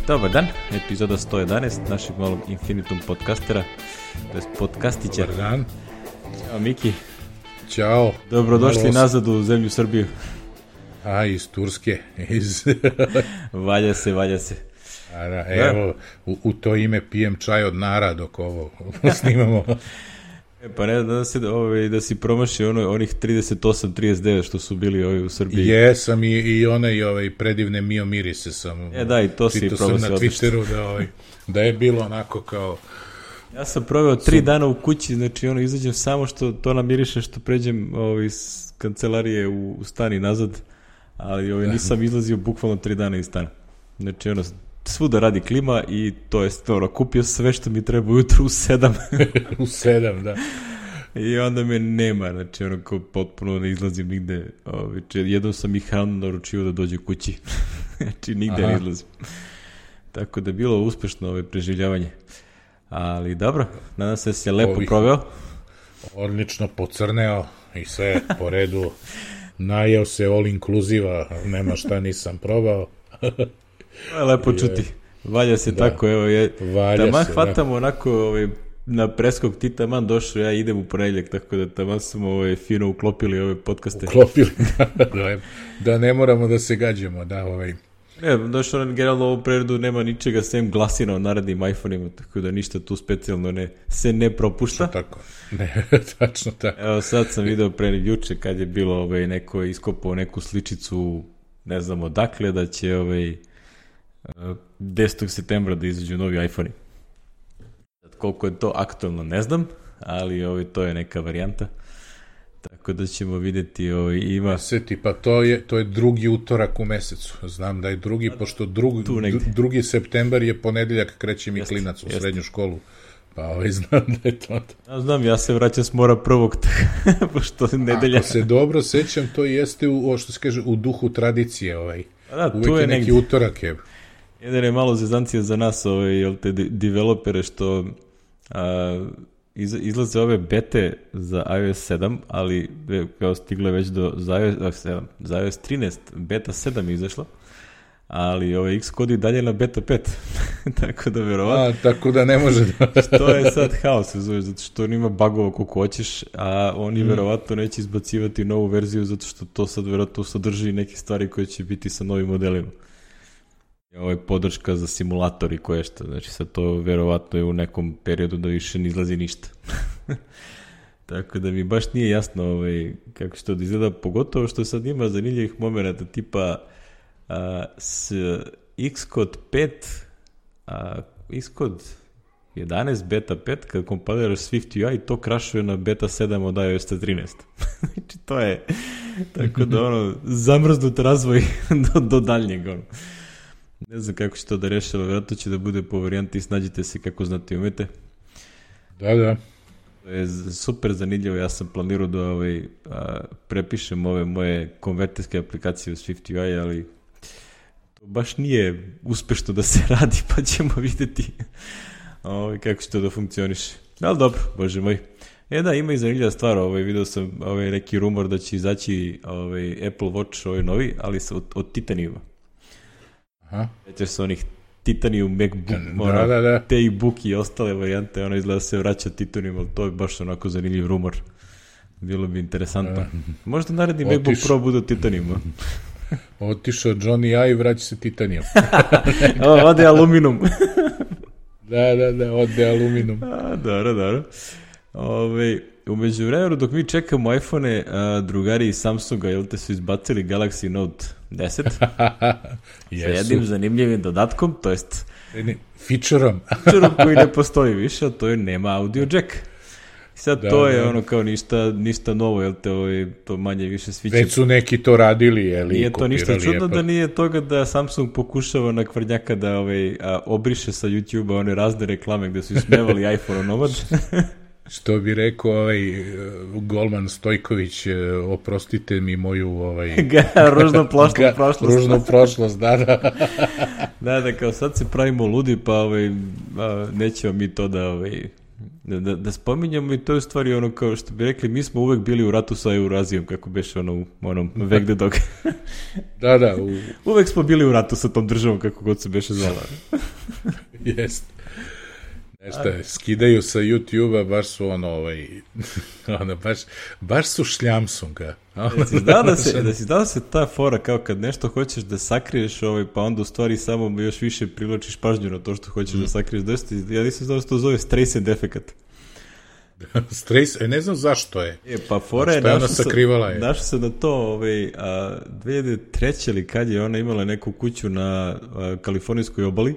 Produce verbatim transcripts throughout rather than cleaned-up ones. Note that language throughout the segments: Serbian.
Dobar dan, epizoda sto jedanaest našeg malog Infinitum podcastera, to je podcastića. Dobar dan. Ćao Miki. Ćao. Dobrodošli Malo... nazad u zemlju Srbiju. A, iz Turske. Iz... valja se, valja se. A, da, evo, u, u to ime pijem čaj od nara dok ovo snimamo. E, pa ne da, se, ovaj, da si promašio ono, onih trideset osam trideset devet što su bili ovi u Srbiji. Jesam i, i one i ovaj predivne Mio Mirise sam. E da, i to si promašio. Sam na Twitteru da, ovaj, da je bilo onako kao... Ja sam proveo tri dana u kući, znači ono izađem samo što to namiriše što pređem ovaj, iz kancelarije u, u stan i nazad, ali ovaj, nisam izlazio bukvalno tri dana iz stana. Znači ono, svuda radi klima i to je stvarno, kupio sve što mi treba ujutru u sedam. u sedam, da. I onda me nema, znači ono kao potpuno ne izlazim nigde. Ovaj, jednom sam i hranu naručio da dođe kući. Znači nigde Aha. ne izlazim. Tako da je bilo uspešno ove preživljavanje. Ali dobro, nadam se da si je lepo Ovih, proveo. Odlično pocrneo i sve po redu. Najeo se all inclusive, nema šta nisam probao. To je lepo čuti. Valja se da, tako, evo je. Taman hvatamo da. Onako ovaj, na preskog ti taman došao, ja idem u ponedjeljak, tako da taman smo ovaj, fino uklopili ove podcaste. Uklopili, da, da, da ne moramo da se gađamo, da ovaj... Ne, došao nam generalno u ovu preredu nema ničega sem glasina o narednim iPhone-ima, tako da ništa tu specijalno ne, se ne propušta. Tako, ne, tačno tako. Evo sad sam video pre juče kad je bilo ovaj, neko iskopao neku sličicu, ne znam odakle, da će ovaj, desetog septembra da izađu novi iPhone-i. Koliko je to aktualno ne znam, ali ovaj, to je neka varijanta. Tako da ćemo vidjeti, ovaj, ima... Sveti, pa to je, to je drugi utorak u mesecu. Znam da je drugi, pošto drug, drugi septembar je ponedeljak, kreće mi jest, klinac u jest. srednju školu. Pa ovaj, znam da je to. Ja znam, ja se vraćam s mora prvog, pošto nedelja... Ako se dobro sećam, to jeste u, o što se kaže, u duhu tradicije. Ovaj. Da, uvek je, je neki negdje. utorak je. Jedan je malo zezancija za nas, ovaj, jel te, developere, što... A, izlaze ove bete za iOS sedam, ali kao stigle već do za iOS sedam, za iOS trinaest, beta sedam je izašla, ali ove Xcode i dalje na beta pet. Tako da verovatno... A, tako da ne može da... Što je sad haos, zove, zato što on ima bagova koliko hoćeš, a oni mm. verovatno neće izbacivati novu verziju, zato što to sad verovatno sadrži neke stvari koje će biti sa novim modelima. Ovo je podrška za simulator i koje što, znači sad to verovatno je u nekom periodu da više ne izlazi ništa. Tako da mi baš nije jasno ovaj, kako će to da izgleda, pogotovo što sad ima zanimljivih momenta tipa a, s Xcode pet, a, Xcode jedanaest beta pet, kad kompiliraš SwiftUI, to krašuje na beta sedam od iOS trinaest. Znači to je tako da ono, zamrznut razvoj do, do daljnjeg ono. Ne znam kako će to da rešava, vjerojatno će da bude po varijanti, snađite se kako znate i umete. Da, da. To je super zanimljivo, ja sam planirao da ovaj, a, prepišem ove moje konverterske aplikacije u SwiftUI, ali to baš nije uspešno da se radi, pa ćemo vidjeti ovaj, kako će to da funkcioniše. Ali dobro, bože moj. E da, ima i zanimljiva stvar, ovaj, vidio sam ovaj, neki rumor da će izaći ovaj, Apple Watch ovaj novi, ali od, od titanijuma. Aha. Već su onih Titanium, MacBook, da, ono, da, da. te i Book i ostale varijante, ono izgleda se vraća Titanium, ali to je baš onako zanimljiv rumor. Bilo bi interesantno. Da. Možda naredni Otiš... MacBook Pro bude od Titaniuma. Otišao Johnny A i vraća se Titanium. Ode aluminum. da, da, da, ode aluminum. A, dobro, dobro. Ove, umeđu vremenu, dok mi čekamo iPhone-e, a, drugari iz Samsunga, jel te su izbacili Galaxy Note deset sa jednim zanimljivim dodatkom, to jest featureom featureom koji ne postoji više, a to je nema audio jack. I sad da, to je da. ono kao ništa, ništa novo, jel te ovo je to manje više sviće. Već su neki to radili, jel? Nije to ništa čudno da nije toga da Samsung pokušava na kvrdnjaka da ovaj, a, obriše sa YouTube-a one razne reklame gde su ismevali iPhone onomad. Što bi rekao ovaj Golman Stojković, oprostite mi moju ovaj ružnu prošlost. Ružnu prošlost, da, da. da, da, kao sad se pravimo ludi, pa ovaj, nećemo mi to da ovaj, Da, da, da spominjamo i to je u stvari ono kao što bi rekli, mi smo uvek bili u ratu sa Eurazijom, kako beše ono u onom Vek de Dog. Da, da. U... Uvek smo bili u ratu sa tom državom, kako god se beše zvala. Jest. Nešto, skidaju sa YouTube-a, baš su ono, ovaj, ono, baš, baš su šljamsunga. Da si znao da se, da si znao da se ta fora, kao kad nešto hoćeš da sakriješ, ovaj, pa onda u stvari samo još više privlačiš pažnju na to što hoćeš mm. da sakriješ. Dosta, ja nisam znao da se to zove Streisand efekat. Streisand, e, ne znam zašto je. E, pa fora je, našao se, našao se na to, ovaj, a, dve hiljade treće ili kad je ona imala neku kuću na a, kalifornijskoj obali,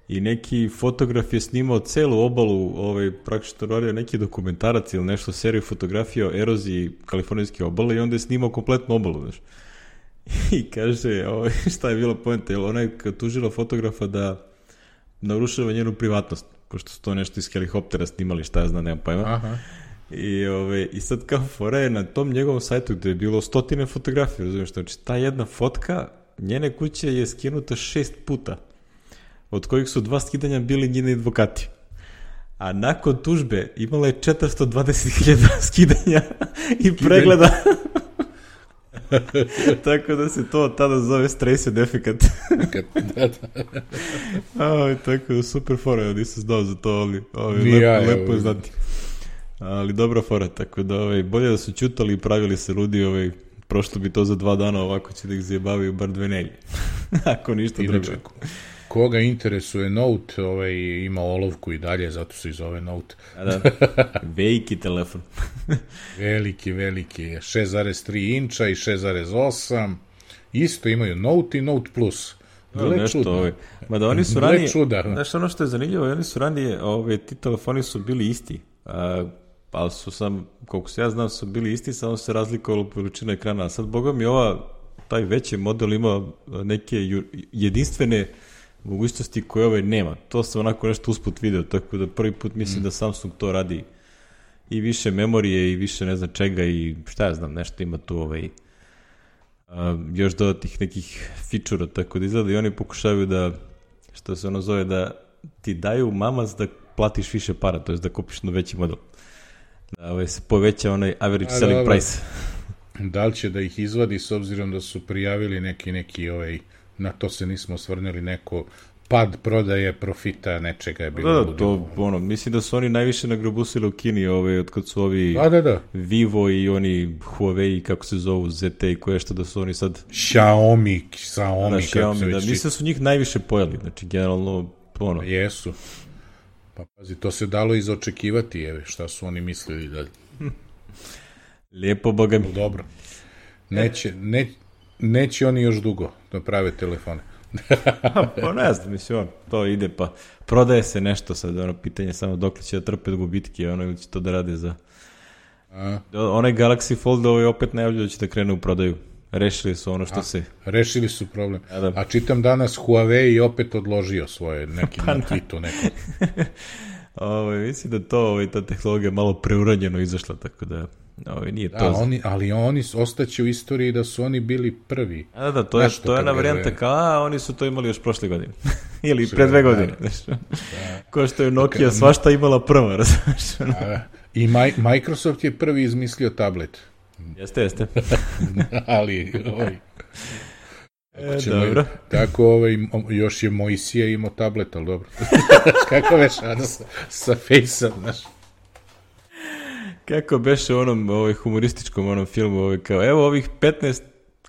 i neki fotograf je snimao celu obalu, ovaj, praktično radio neki dokumentarac ili nešto, seriju fotografija o eroziji kalifornijske obale i onda je snimao kompletnu obalu, znaš. I kaže, ovaj, šta je bilo poenta, jer ona je tužila fotografa da narušava njenu privatnost, pošto su to nešto iz helikoptera snimali, šta ja znam, nemam pojma. Aha. I, ovaj, I sad kao fora je na tom njegovom sajtu gde je bilo stotine fotografija, razumiješ, znači ta jedna fotka njene kuće je skinuta šest puta, od kojih su dva skidanja bili njeni advokati. A nakon tužbe imala je četiristo dvadeset hiljada skidanja i pregleda. Tako da se to tada zove Streisand efekat. da, da. Aj, tako da super fora, ja nisam znao za to, ali, ali lepo, ja, lepo je znati. Ali dobra fora, tako da ovaj, bolje da su čutali i pravili se ludi, ovaj, prošlo bi to za dva dana, ovako će da ih zajebavaju bar dve nelje. Ako ništa drugo. Koga interesuje Note, ovaj, ima olovku i dalje, zato se i zove Note. A da, veliki telefon. veliki, veliki. šest zarez tri inča i šest zarez osam. Isto imaju Note i Note Plus. Gle nešto, čudno. Ovaj. Mada oni su ranije, znaš ono što je zanimljivo, oni su ranije, ove, ti telefoni su bili isti. A, ali su sam, koliko se ja znam, su bili isti, samo se razlikovalo veličina ekrana. A sad, boga mi, ova, taj veći model ima neke jedinstvene mogućnosti koje ovaj nema. To sam onako nešto usput video, tako da prvi put mislim mm. da Samsung to radi i više memorije i više ne znam čega i šta ja znam, nešto ima tu ovaj, a, još dodatih nekih fičura, tako da izgleda i oni pokušavaju da, što se ono zove, da ti daju mamac da platiš više para, to je da kupiš na veći model. Da ovaj, se poveća onaj average a, selling dobro. Price. Da li će da ih izvadi s obzirom da su prijavili neki, neki ovaj, na to se nismo osvrnuli, neko pad prodaje profita nečega je bilo. Da, da, to, ono, mislim da su oni najviše nagrabusili u Kini, ove, od kad su ovi da, da, da. Vivo i oni Huawei, kako se zovu, Z T i koje što da su oni sad Xiaomi, Xiaomi, da, Xiaomi, da, mislim da su njih najviše pojeli, znači generalno, ono. Jesu. Pa pazi, to se dalo izočekivati, evo, šta su oni mislili da... Lijepo, boga mi. Dobro. Neće, ne, neće oni još dugo da prave telefone. Pa ne znam, mislim, on, to ide, pa prodaje se nešto sad, ono, pitanje samo dok li će da trpe gubitke, ono, ili će to da rade za... A? Onaj Galaxy Fold ovaj opet najavljaju da će da krene u prodaju. Rešili su ono što A, se... Rešili su problem. A, da. A čitam danas Huawei opet odložio svoje neki pa na tweetu neko. Ovo, mislim da to, ovaj, ta tehnologija malo preuranjeno izašla, tako da... Ovo, nije da, to... oni, ali oni ostaće u istoriji da su oni bili prvi. A, da, da, to je, to je jedna varijanta kao, a, oni su to imali još prošle godine. Ili pre dve godine. Da. Ko što je Nokia svašta imala prva, razumiješ? I Microsoft je prvi izmislio tablet. Jeste, jeste. ali, ovaj... E, dobro. Tako, ovaj, još je Mojsije imao tablet, ali dobro. Kako veš, ano, sa, sa Face-om, znaš. Kako beše u onom ovaj, humorističkom onom filmu, ovaj, kao, evo ovih petnaest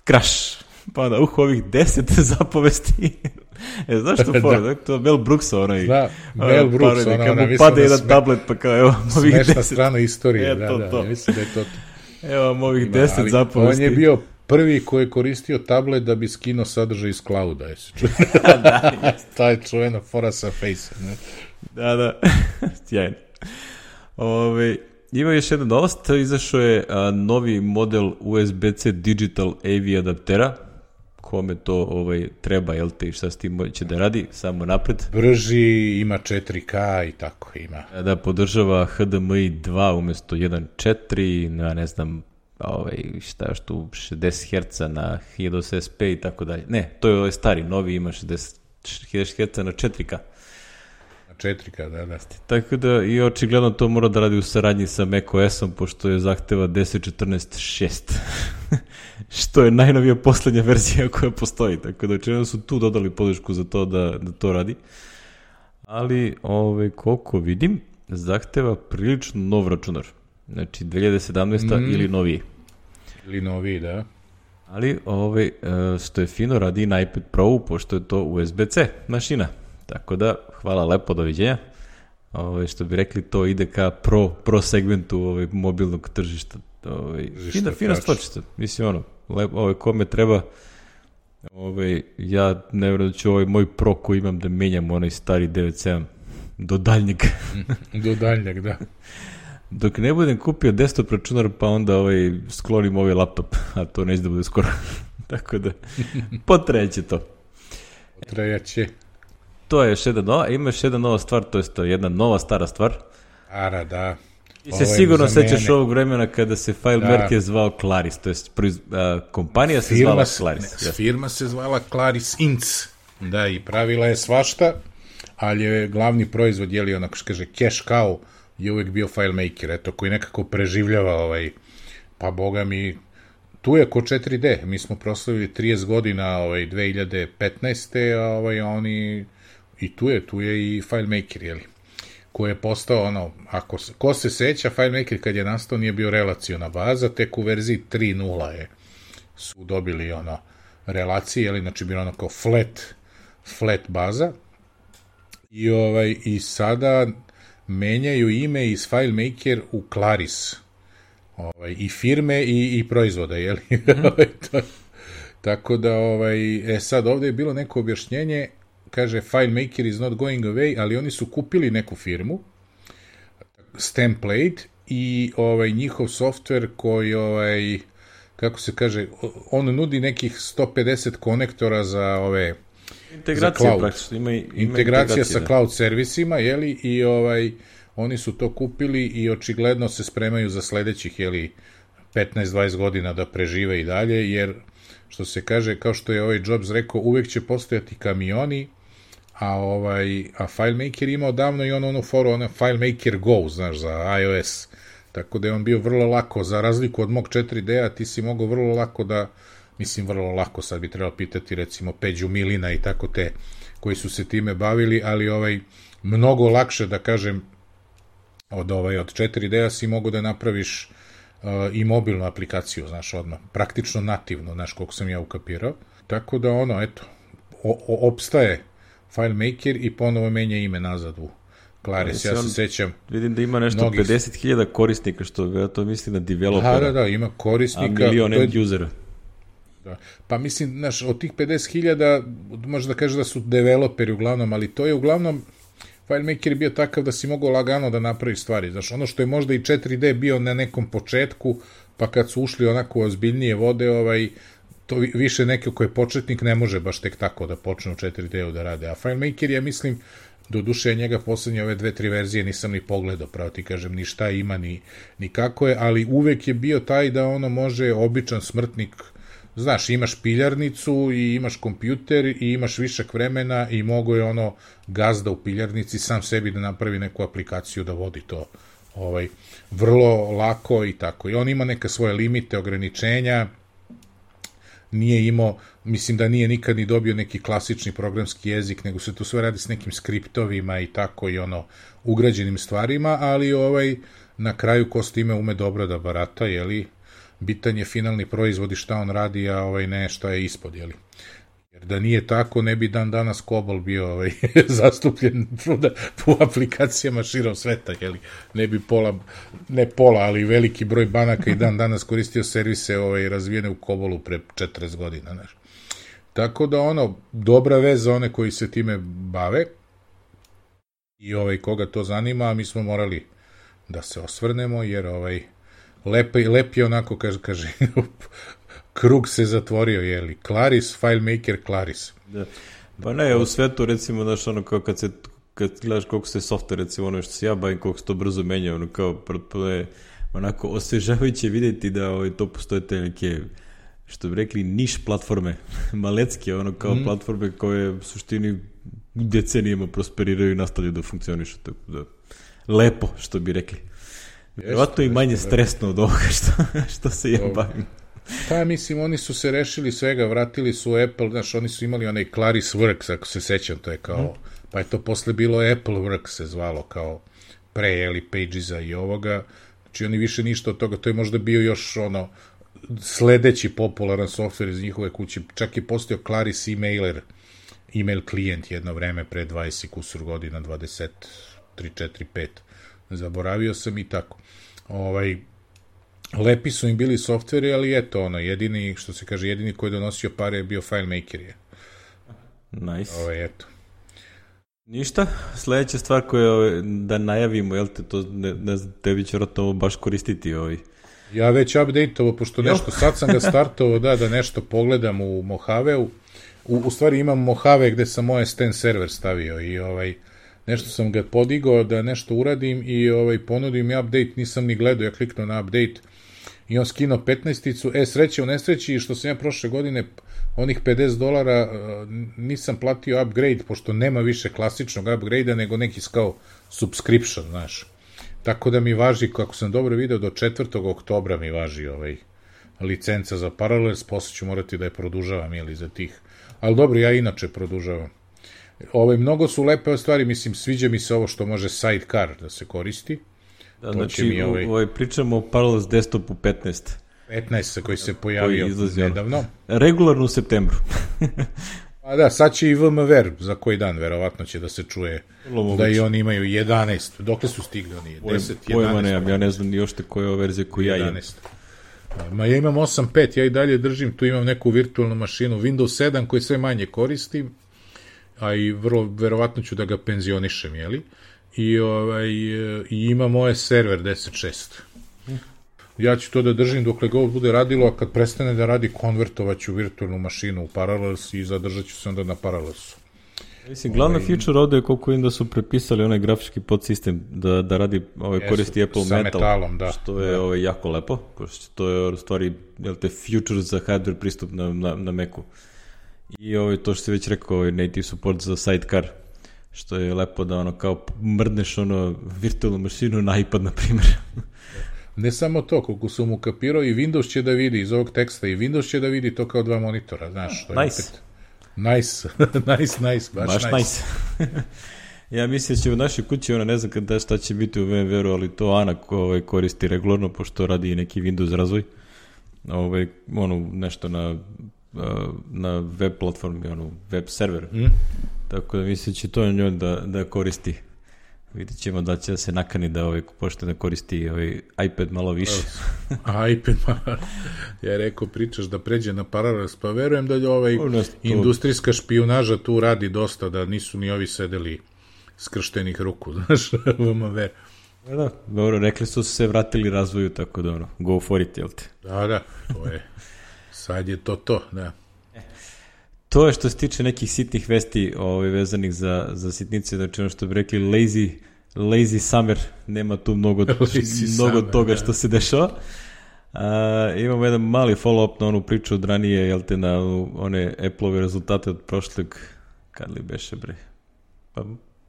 crash, pa onda, uh, ovih deset zapovesti. E, znaš što fora, da. To je Mel Brooks, onaj. Da, Mel Brooks, parodi, ona, ona, mu pade jedan sme... tablet, pa kao, evo ovih deset. Smešna strana istorije, e, da, to, da, to. ja mislim da je to. Evo ovih deset ali, zapovesti. On je bio prvi koji je koristio tablet da bi skinuo sadržaj iz clouda, jesi čuo? Da, taj čuvena fora sa Face-om, ne? Da, da, sjajno. Ove, ima još jedna novost, izašao je a, novi model U S B C Digital A V adaptera, kome to ovaj, treba, jel te, i šta s tim će da radi, samo napred. Brži, ima četiri K i tako ima. Da, podržava H D M I dva umjesto jedan četiri, na ne znam, ovaj, šta još tu, šezdeset herca na hiljadu S P i tako dalje. Ne, to je ovaj stari, novi ima šezdeset herca na četiri K. Na četiri K, da, da. Tako da i očigledno to mora da radi u saradnji sa macOS-om, pošto je zahteva deset četrnaest šest, što je najnovija poslednja verzija koja postoji, tako da očigledno su tu dodali podršku za to da, da to radi. Ali, ove, koliko vidim, zahteva prilično nov računar. Znači, dve hiljade sedamnaesta. Mm. ili noviji. Ili noviji, da. Ali, ove, što je fino, radi i na iPad Pro, pošto je to U S B C mašina. Tako da, hvala lepo, doviđenja. Ove, što bi rekli, to ide ka pro, pro segmentu ove, mobilnog tržišta. Ove, fina, fina stvarčica. Mislim, ono, lepo, ove, kome treba, ove, ja ne vjerujem da ću ovaj moj Pro koji imam da menjam onaj stari devet sedam do daljnjeg. Do daljnjeg, da. Dok ne budem kupio desktop računar, pa onda ovaj, sklonim ovaj laptop, a to neće da bude skoro. Tako da, potreće to. Potreće. To je još jedna nova, ima još jedna nova stvar, to je to jedna nova stara stvar. Ara, da. Ti se sigurno sećaš ovog vremena kada se FileMaker je zvao Claris, to je kompanija se firma zvala Claris. Ne, firma se zvala Claris Inc. Da, i pravila je svašta, ali je glavni proizvod, je li onako što kaže, cash cow, je uvek bio FileMaker, eto, koji nekako preživljava ovaj, pa boga mi, tu je ko četiri D, mi smo proslavili trideset godina ovaj, dve hiljade petnaeste. a ovaj, oni, i tu je, tu je i FileMaker, jeli, koji je postao, ono, ako, ko se seća, FileMaker kad je nastao nije bio relaciona baza, tek u verziji tri nula je, su dobili, ono, relacije, jeli, znači bilo ono kao flat, flat baza, i, ovaj, i sada menjaju ime iz FileMaker u Claris, ovaj, i firme i, i proizvoda, jeli? Mm-hmm. Tako da, ovaj, e sad ovde je bilo neko objašnjenje, kaže FileMaker is not going away, ali oni su kupili neku firmu, Stemplate, i ovaj, njihov softver koji, ovaj, kako se kaže, on nudi nekih sto pedeset konektora za ove integracija, praktično, ima, ima integracija, integracija sa da. Cloud servisima, jeli, i ovaj, oni su to kupili i očigledno se spremaju za sledećih, jeli, petnaest dvadeset godina da prežive i dalje, jer, što se kaže, kao što je ovaj Jobs rekao, uvek će postojati kamioni, a ovaj, a FileMaker ima odavno i ono, ono foru, ono FileMaker Go, znaš, za iOS, tako da je on bio vrlo lako, za razliku od mog četiri D-a, ti si mogao vrlo lako da, mislim vrlo lako, sad bi trebalo pitati recimo Peđu Milina i tako te koji su se time bavili, ali ovaj mnogo lakše da kažem od ovaj od četiri D-a si mogu da napraviš uh, i mobilnu aplikaciju, znaš, odmah, praktično nativno, znaš, koliko sam ja ukapirao. Tako da ono, eto, o, o, opstaje FileMaker i ponovo menja ime nazad u Claris, ja se sećam. Vidim da ima nešto mnogih... pedeset hiljada korisnika, što to misli na developera. Da, da, da, ima korisnika. A milion end usera. Da. Pa mislim, znaš, od tih pedeset hiljada možda da kažeš da su developeri uglavnom, ali to je uglavnom, FileMaker je bio takav da si mogao lagano da napraviš stvari. Znaš, ono što je možda i četiri D bio na nekom početku, pa kad su ušli onako ozbiljnije vode, ovaj, to više neko ko je početnik ne može baš tek tako da počne u četiri D-u da rade. A FileMaker, ja mislim, do duše njega poslednje ove dve, tri verzije nisam ni pogledao, pravo ti kažem, ni šta ima, ni, ni kako je, ali uvek je bio taj da ono može običan smrtnik, znaš, imaš piljarnicu i imaš kompjuter i imaš višak vremena i mogo je ono gazda u piljarnici sam sebi da napravi neku aplikaciju da vodi to ovaj, vrlo lako i tako. I on ima neka svoje limite, ograničenja, nije imao, mislim da nije nikad ni dobio neki klasični programski jezik, nego se tu sve radi s nekim skriptovima i tako i ono ugrađenim stvarima, ali ovaj na kraju ko s time ume dobro da barata, jeli, bitan je finalni proizvod i šta on radi, a ovaj ne šta je ispod, jeli. Jer da nije tako, ne bi dan danas COBOL bio ovaj, zastupljen po aplikacijama širom sveta, jeli. Ne bi pola, ne pola, ali veliki broj banaka i dan danas koristio servise ovaj, razvijene u COBOLu pre četrdeset godina, znaš. Tako da ono, dobra vez za one koji se time bave i ovaj, koga to zanima, mi smo morali da se osvrnemo, jer ovaj, Lepo, lep je onako, kaže, kaže krug se zatvorio, jeli, Claris, FileMaker, Claris. Da. Pa ne, u svetu, recimo, znaš, ono, kao kad se, kad gledaš koliko se software, recimo, ono što se ja bavim, koliko se to brzo menja, ono, kao, prvo je onako osvežavajuće vidjeti da ovaj, to postoje te neke, što bi rekli, niš platforme, malecke, ono, kao mm. platforme koje u suštini decenijama prosperiraju i nastavljaju da funkcionišu, tako da lepo, što bi rekli. Vjerovatno i manje stresno od ovoga što, što se ja bavim. Pa mislim, oni su se rešili svega, vratili su Apple, znaš, oni su imali onaj Claris Works, ako se sećam, to je kao, mm. pa je to posle bilo Apple Works se zvalo, kao pre, jeli, Pagesa i ovoga, znači oni više ništa od toga, to je možda bio još ono, sledeći popularan softver iz njihove kuće, čak je postao Claris emailer, email klijent jedno vreme pre dvadeset kusur godina, dvadeset tri, četiri, pet, zaboravio sam i tako. Ovaj, lepi su im bili softveri, ali eto, ono, jedini, što se kaže, jedini koji je donosio pare je bio FileMaker je. Nice. Ovaj, eto. Ništa, sledeća stvar koja da najavimo, jel te, to ne, ne znam, tebi će vratno ovo baš koristiti ovaj. Ja već update-ovo, pošto nešto, sad sam ga startovao, da, da nešto pogledam u Mohaveu. U, u stvari imam Mojave gde sam moje Sten server stavio i ovaj, nešto sam ga podigao da nešto uradim i ovaj, ponudim i update, nisam ni gledao, ja kliknuo na update i on skinuo petnaesticu, e, sreće u nesreći, što sam ja prošle godine onih pedeset dolara nisam platio upgrade, pošto nema više klasičnog upgrade-a, nego neki kao subscription, znaš. Tako da mi važi, kako sam dobro video, do četvrtog oktobra mi važi ovaj licenca za Parallels, posle ću morati da je produžavam, jeli, za tih. Ali dobro, ja inače produžavam. Ovaj, mnogo su lepe stvari, mislim, sviđa mi se ovo što može sidecar da se koristi. Da, znači, ovaj... ovaj, pričamo o Parallels desktopu petnaest. petnaest koji se pojavio koji nedavno. Regularno u septembru. A da, sad će i V M W R za koji dan, verovatno će da se čuje da i oni imaju jedanaest. Dokle su stigli oni? deset, jedanaest? Pojma nemam, ja ne znam ni ošte koja je verzija koju ja imam. Ma ja imam osam pet, ja i dalje držim, tu imam neku virtualnu mašinu, Windows sedam koji sve manje koristim, a i vrlo, verovatno ću da ga penzionišem, jeli? I, ovaj, i ima moje server deset šest. Ja ću to da držim dokle ga ovo bude radilo, a kad prestane da radi, konvertovat ću virtualnu mašinu u Parallels i zadržat ću se onda na Parallelsu. Mislim, glavna ovaj... feature ovde je koliko im da su prepisali onaj grafički podsistem da, da radi, ovaj, Jesu, koristi Apple Metal, metalom, da. Što je da. Ovaj, jako lepo, pošto to je u stvari, jel te, future za hardware pristup na, na, na Macu. I ovaj, to što si već rekao, ovaj, native support za sidecar, što je lepo da ono kao mrdneš ono virtualnu mašinu na iPad, na primjer. Ne samo to, koliko sam mu kapirao, i Windows će da vidi iz ovog teksta, i Windows će da vidi to kao dva monitora, znaš. Što je nice. Opet... Nice, nice, nice, baš, baš nice. nice. Ja mislim da će u našoj kući, ona ne znam kada šta će biti u V M W R-u, ali to Ana ko, ovaj, koristi regularno, pošto radi i neki Windows razvoj. Ovaj, ono, nešto na, na web platformi, ono, web server. Mm. Tako da mislim da će to njoj da, da koristi. Vidjet ćemo da će se nakani da ovaj, pošto da koristi ovaj iPad malo više. iPad malo. Ja rekao, pričaš da pređe na Parallels, pa verujem da ovaj to... industrijska špijunaža tu radi dosta, da nisu ni ovi sedeli skrštenih ruku, znaš, V M W R. Da, da, dobro, rekli su se vratili razvoju, tako da ono, go for it, jel te? Da, da, to je, sad je to to, da. To je što se tiče nekih sitnih vesti ovaj, vezanih za, za sitnice, znači ono što bi rekli lazy, lazy summer, nema tu mnogo, mnogo summer, toga da. Što se dešava. Uh, imamo jedan mali follow-up na onu priču od ranije, jel te, na one Apple-ove rezultate od prošlog, kad li beše bre, pa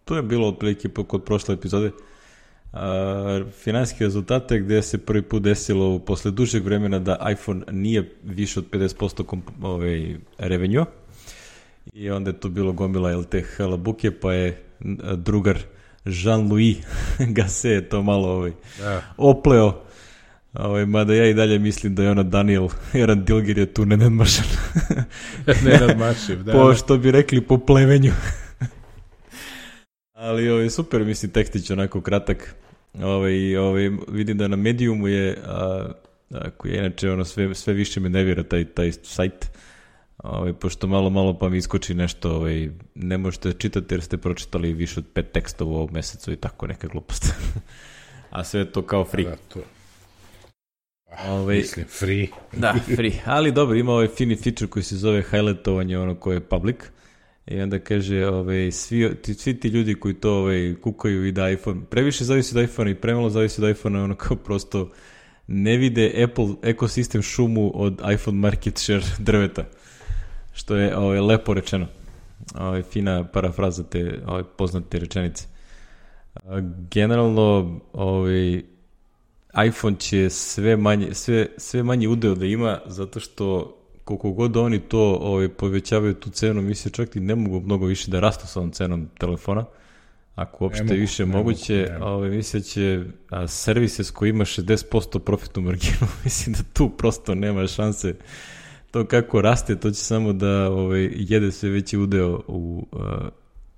to je bilo otprilike kod prošle epizode, uh, finansijske rezultate gde se prvi put desilo posle dužeg vremena da iPhone nije više od pedeset posto komp- ovaj, revenue. I onda je tu bilo gomila L T halabuke, pa je drugar Jean-Louis Gasset je to malo ovaj, ja. opleo. Ovaj, mada ja i dalje mislim da je ona Daniel, Eran Dilger je tu nenadmašan. Nenadmašiv, da. Po što bi rekli, po plevenju. Ali ovaj, super, mislim, tekstić onako kratak. Ovaj, ovaj, vidim da na Mediumu je, a, a, koji je inače ono, sve, sve više me nevira taj, taj sajt. Ovaj, pošto malo, malo pa mi iskoči nešto, ovaj, ne možete čitati jer ste pročitali više od pet tekstova u ovom mesecu i tako neka glupost. A sve je to kao free. Da, to. Ovaj, mislim, free. Da, free. Ali dobro, ima ovaj fini feature koji se zove highlightovanje, ono koje je public. I onda kaže, ovaj, svi, ti, svi ti ljudi koji to ovaj, kukaju i da iPhone, previše zavisi od iPhone i premalo zavisi od iPhone, ono kao prosto ne vide Apple ekosistem šumu od iPhone market share drveta. Što je ovaj, lepo rečeno. ovaj, fina parafraza te ovaj, poznate rečenice. Generalno, ovaj, iPhone će sve manje, sve, sve manje udeo da ima, zato što koliko god oni to ovaj, povećavaju tu cenu, mislim čak i ne mogu mnogo više da rastu sa ovom cenom telefona, ako uopšte mogu, više moguće, ovaj, mislim će a, servises koji ima šezdeset posto profitnu marginu, mislim da tu prosto nema šanse. To kako raste, to će samo da ovaj, jede sve veći udeo u, uh,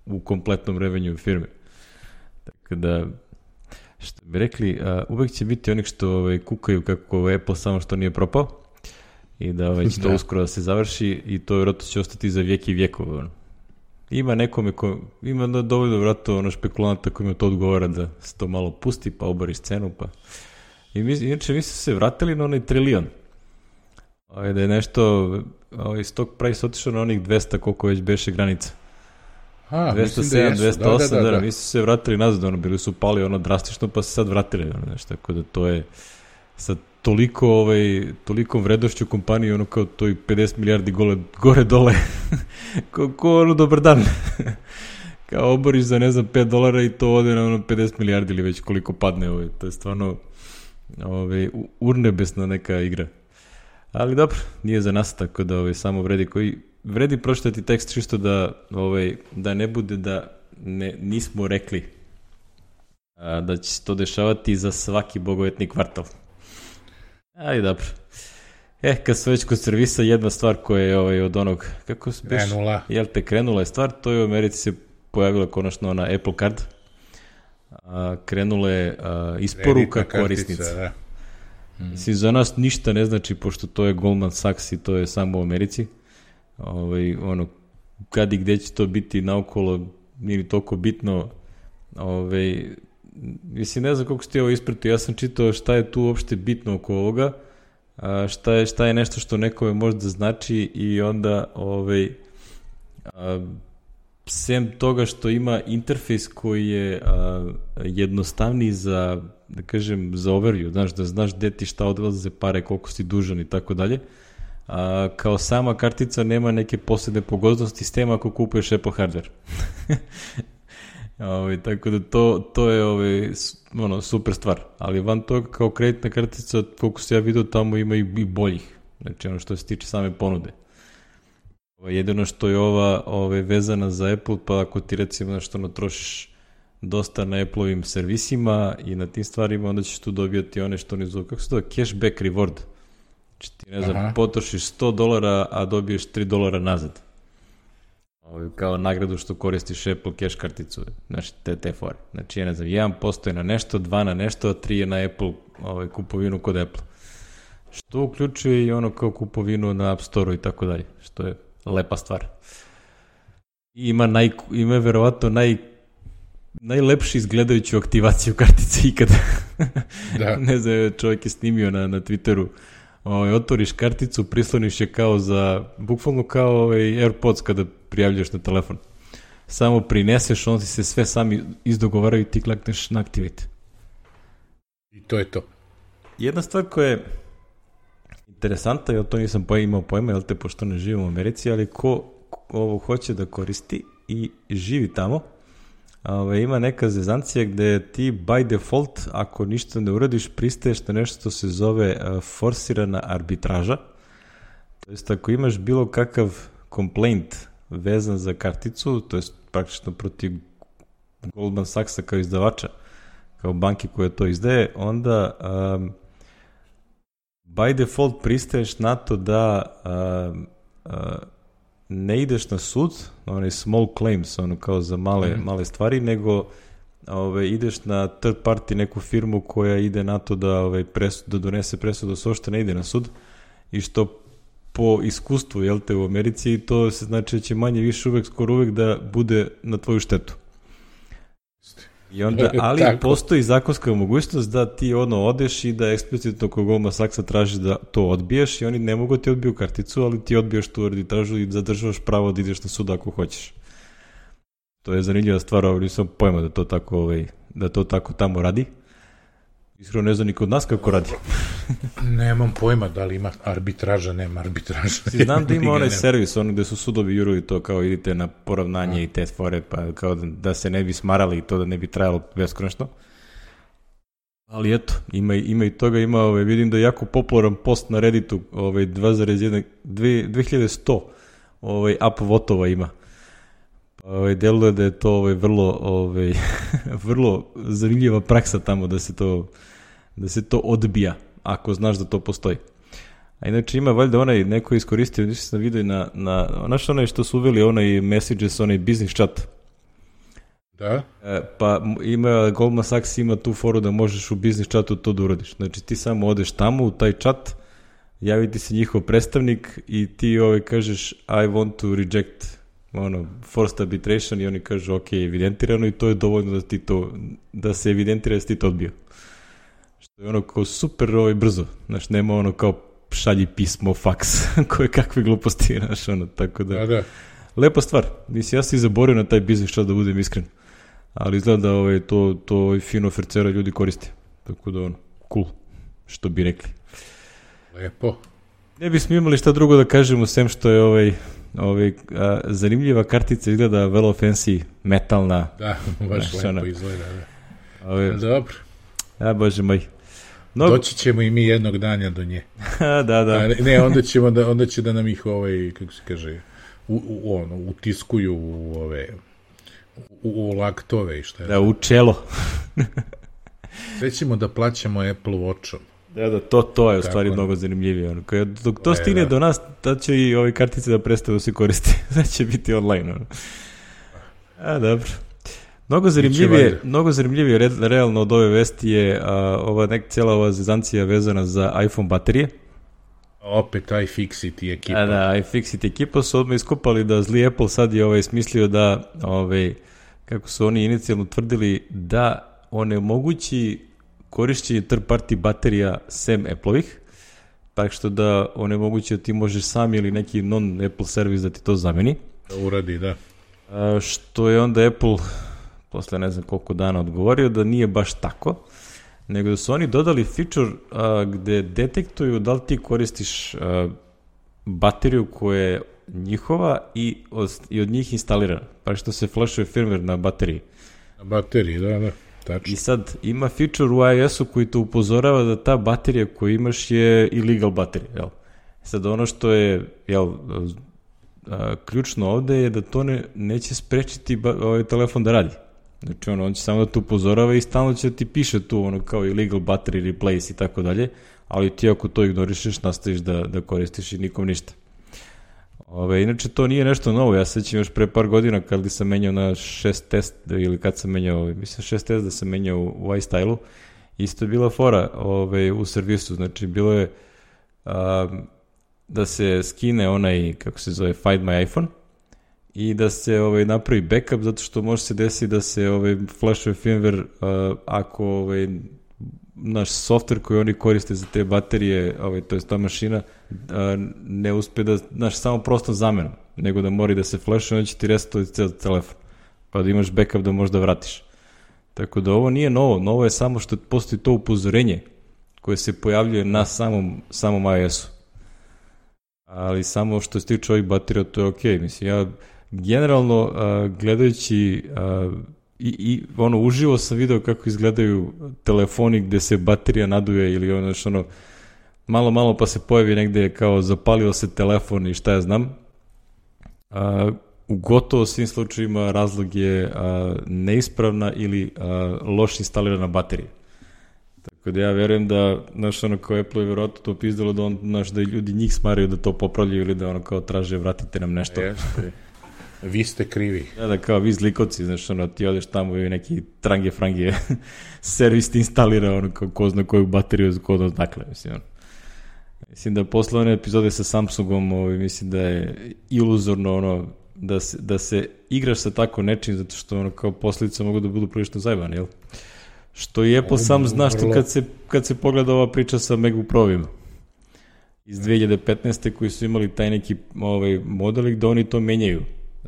u kompletnom revenju firme. Tako da, što bi rekli, uh, uvek će biti onih što ovaj, kukaju kako Apple samo što nije propao i da ovaj, će to uskoro da se završi i to vjerojatno će ostati za vijek i vijekova. Ono. Ima nekome ko, ima dovoljno vjerojatno ono špekulanta kojima to odgovara da se to malo pusti pa obori scenu. Pa. I mi, inače mi su se vratili na onaj trilion. Ovaj, da je nešto ovaj, stock price otišao na onih dvesta koliko već beše granica. A, dvesta sedam, dvesta osam, da, da, da, da. Mi su se vratili nazad, ono, bili su pali ono drastično, pa se sad vratili, ono, nešto, tako da to je sa toliko, ovaj, tolikom vredošću kompanije, ono, kao to i pedeset milijardi gole, gore dole, ko, ko, ono, dobar dan, kao oboriš za, ne znam, pet dolara i to ode na, ono, pedeset milijardi ili već koliko padne, ovaj, to je stvarno, ovaj, urnebesna neka igra. Ali dobro, nije za nas, tako da ovaj, samo vredi koji vredi pročitati tekst čisto da ovaj da ne bude da ne nismo rekli a, da će se to dešavati za svaki bogovetni kvartal. Ali dobro. Eh, kad se već kod servisa, jedna stvar koja je ovaj, od onog, kako se biš, krenula. Jel te krenula je stvar, to je u Americi se pojavila konačno na Apple Card. A, krenula je a, isporuka korisnica. Da. Mislim, za nas ništa ne znači, pošto to je Goldman Sachs i to je samo u Americi. Ovaj, ono, kad i gde će to biti naokolo, nije toliko bitno. Ovaj, mislim, ne znam koliko ste ovo ispratio, ja sam čitao šta je tu uopšte bitno oko ovoga, a šta, je, šta je nešto što nekome možda znači i onda ovaj, a, sem toga što ima interfejs koji je a, jednostavniji za, da kažem, za overview, znaš, da znaš gde ti šta odlaze pare, koliko si dužan i tako dalje. A, kao sama kartica nema neke posebne pogodnosti s tema ako kupuješ Apple hardware. Ove, tako da to, to je ove, ono, super stvar. Ali van toga kao kreditna kartica, koliko se ja vidio, tamo ima i, i boljih. Znači ono što se tiče same ponude. Ove, jedino što je ova ove, vezana za Apple, pa ako ti recimo nešto natrošiš dosta na Apple-ovim servisima i na tim stvarima, onda ćeš tu dobijati one što ne zove, kako se zove, cashback reward. Znači ti, ne znam, aha, potrošiš sto dolara, a dobiješ tri dolara nazad. Ovo, kao nagradu što koristiš Apple cash karticu, znači te, te fore. Znači, ja ne znam, jedan posto je na nešto, dva na nešto, a tri je na Apple, ovaj, kupovinu kod Apple. Što uključuje i ono kao kupovinu na App Store-u i tako dalje, što je lepa stvar. I ima, naj, ima verovatno naj, najlepši izgledajuću aktivaciju kartice ikada. Da. Ne znam, čovjek je snimio na, na Twitteru. Ovaj, otvoriš karticu, prisloniš je kao za, bukvalno kao ovaj AirPods kada prijavljaš na telefon. Samo prineseš, on ti se sve sami izdogovaraju i ti klikneš na Activate. I to je to. Jedna stvar koja je interesantna, ja to nisam imao pojma, jel te, pošto ne živim u Americi, ali ko, ko ovo hoće da koristi i živi tamo, Ove, ima neka zezancija gde ti by default, ako ništa ne uradiš, pristaješ na nešto što se zove uh, forsirana arbitraža. To jest, ako imaš bilo kakav complaint vezan za karticu, to jest praktično protiv Goldman Sachsa kao izdavača, kao banki koja to izdaje, onda um, by default pristaješ na to da um, uh, ne ideš na sud, onaj small claims, ono kao za male, mm. male stvari, nego ove, ideš na third party neku firmu koja ide na to da, ove, presud, da donese presudu, da uopšte ne ide na sud, i što po iskustvu, jel te, u Americi, to se znači da će manje više uvek, skoro uvek da bude na tvoju štetu. I onda, ali postoji zakonska mogućnost da ti ono odeš i da eksplicitno kod Goldman Sachsa traži da to odbiješ i oni ne mogu ti odbiju karticu, ali ti odbiješ tu arbitražu i zadržavaš pravo da ideš na sud ako hoćeš. To je zanimljiva stvar, ali nisam pojma da to tako, ovaj, da to tako tamo radi. Iskreno ne znam ni kod nas kako radi. Nemam pojma da li ima arbitraža, nema arbitraža. Znam da ima onaj servis, ono gde su sudovi juruju to kao idite na poravnanje a. i te fore, pa kao da, da se ne bi smarali i to da ne bi trajalo beskonačno. Ali eto, ima, ima i toga, ima, ovaj, vidim da je jako popularan post na Redditu, ovaj, dve hiljade sto ovaj, upvotova ima. Ovaj, deluje da je to ovaj, vrlo, ovaj, vrlo zanimljiva praksa tamo da se to, da se to odbija, ako znaš da to postoji. A inače ima valjda onaj, neko iskoristio, nisam sam vidio na, na, znaš onaj što su uveli, onaj messages, onaj business chat. Da? E, pa ima, Goldman Sachs ima tu foru da možeš u business chatu to da uradiš. Znači ti samo odeš tamo u taj chat, javi ti se njihov predstavnik i ti ovaj kažeš I want to reject ono, forced arbitration i oni kažu ok, evidentirano i to je dovoljno da ti to, da se evidentira da si ti to odbio. Što je ono kao super ovaj, brzo, znaš, nema ono kao šalji pismo, faks, koje kakve gluposti, znaš, ono, tako da, da, da. Lepa stvar, mislim, ja sam i zaborio na taj biznis čas da budem iskren, ali izgleda da ovaj, to, to ovaj, fino fercera ljudi koriste, tako da ono, cool, što bi rekli. Lepo. Ne bismo imali šta drugo da kažemo, sem što je ovaj, ovaj, a, zanimljiva kartica, izgleda vrlo fancy, metalna. Da, baš lepo ona izgleda, da. Ovaj, dobro. Ja, bože moj. Mnogo... Doći ćemo i mi jednog dana do nje. da, da. A, ne, onda, ćemo da, onda će da nam ih, ovaj, kako se kaže, u, u, ono, utiskuju u ove, u, u laktove i šta je. Da, u čelo. Sve ćemo da plaćamo Apple Watchom. Da, da, to, to je u stvari mnogo zanimljivije. Ono. Kad, dok to stigne do nas, tad će i ove kartice da prestaju da se koriste. Da će biti online. Ono. A, dobro. Mnogo zanimljivije, mnogo zanimljivije re, realno od ove vesti je a, ova nek cijela ova zezancija vezana za iPhone baterije. Opet iFixit ekipa. A, da, iFixit ekipa su odmah iskopali da zli Apple sad je ovaj smislio da, ovaj, kako su oni inicijalno tvrdili, da onemogući korišćenje third party baterija sem Apple-ovih, tako što da onemogući da ti možeš sam ili neki non-Apple servis da ti to zameni. Da uradi, da. A, što je onda Apple posle ne znam koliko dana odgovorio da nije baš tako, nego da su oni dodali feature a, gde detektuju da li ti koristiš a, bateriju koja je njihova i od, i od njih instalirana, pa što se flashuje firmware na bateriji. Na bateriji, da, da. Tačno. I sad ima feature u iOS-u koji te upozorava da ta baterija koju imaš je illegal baterija, jel? Sad ono što je, jel, a, ključno ovde je da to ne, neće sprečiti ba, ovaj telefon da radi. Znači ono, on će samo da te upozorava i stalno će da ti piše tu ono kao illegal battery replace i tako dalje, ali ti ako to ignorišeš nastaviš da, da koristiš i nikom ništa. Ove, inače to nije nešto novo, ja sećam još pre par godina kad sam menjao na šest S ili kad sam menjao, mislim šest S da sam menjao u iStyle-u, isto je bila fora ove, u servisu, znači bilo je a, da se skine onaj, kako se zove, Find My iPhone i da se ovaj, napravi backup zato što može se desiti da se ovaj, flashuje firmware uh, ako ovaj, naš software koji oni koriste za te baterije, ovaj, to je ta mašina, uh, ne uspe da, znaš, samo prosto zamenom, nego da mora da se flashuje, onda će ti resetovati ceo telefon, pa da imaš backup da možda vratiš. Tako da ovo nije novo, novo je samo što postoji to upozorenje koje se pojavljuje na samom, samom iOS-u. Ali samo što se tiče ovih baterija, to je okej. Okay. Mislim, ja generalno uh, gledajući uh, i, i ono, uživo sam video kako izgledaju telefoni gde se baterija naduje ili ono, ono malo, malo pa se pojavi negde kao zapalio se telefon i šta ja znam. Uh, u gotovo svim slučajima razlog je uh, neispravna ili uh, loš instalirana baterija. Tako da ja verujem da, znaš, ono kao Apple je vjerojatno to pizdalo da, on, znaš, da ljudi njih smaraju da to popravljaju ili da ono kao traže vratite nam nešto. Jeste. Vi ste krivi. Da, da, kao vi zlikovci, znaš, ono, ti odeš tamo i neki trange frange servis ti instalira, ono, kao ko zna koju bateriju, ko zna dakle, mislim, ono. Mislim da posle one epizode sa Samsungom, ovaj, mislim da je iluzorno, ono, da se, da se igraš sa tako nečim, zato što, ono, kao posljedice mogu da budu prilično zajebane, jel? Što i Apple sam zna što kad se, kad se pogleda ova priča sa MacBook Pro-vima iz dve hiljade petnaeste koji su imali taj neki ovaj, modelik da oni to menjaju.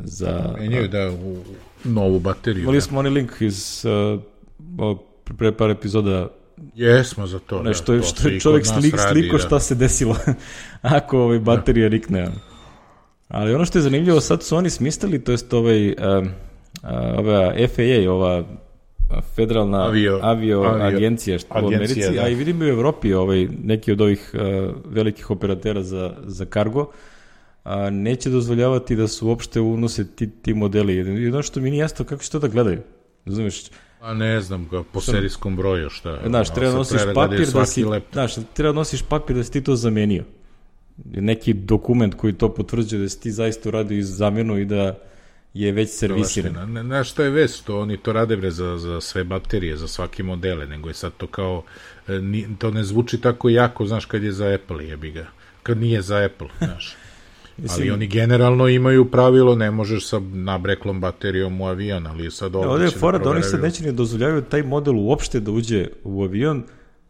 Za, menjaju, da, u novu bateriju. Imali da. smo onaj link iz uh, pre par epizoda Jesmo za to, ne, što, da, to što je čovjek slik, radi, sliko šta da. se desilo ako ovaj baterija da. rikne. Ali ono što je zanimljivo, sad su oni smislili, to jest ovaj, uh, uh, ova F A A, ova federalna avio, avio, avio agencija što u Americi, da. A i vidim u Evropi ovaj, neki od ovih uh, velikih operatera za, za kargo, a neće dozvoljavati da se uopšte unose ti, ti modeli. I ono što mi nije jasno, kako će to da gledaju? Razumiješ? A ne znam, po serijskom broju, šta? Znaš, treba nosiš papir da si, znaš, treba nosiš papir da si ti to zamenio. Neki dokument koji to potvrđuje da si ti zaista uradio iz zamenu i da je već servisiran. Ne, znaš šta je već, to oni to rade bre za, za sve baterije, za svaki modele, nego je sad to kao, to ne zvuči tako jako, znaš, kad je za Apple, jebi ga. Kad nije za Apple, znaš. Ali oni generalno imaju pravilo, ne možeš sa nabreklom baterijom u avion, ali sad ovdje, ovdje je fora da, da oni sad neće ne dozvoljavaju taj model uopšte da uđe u avion,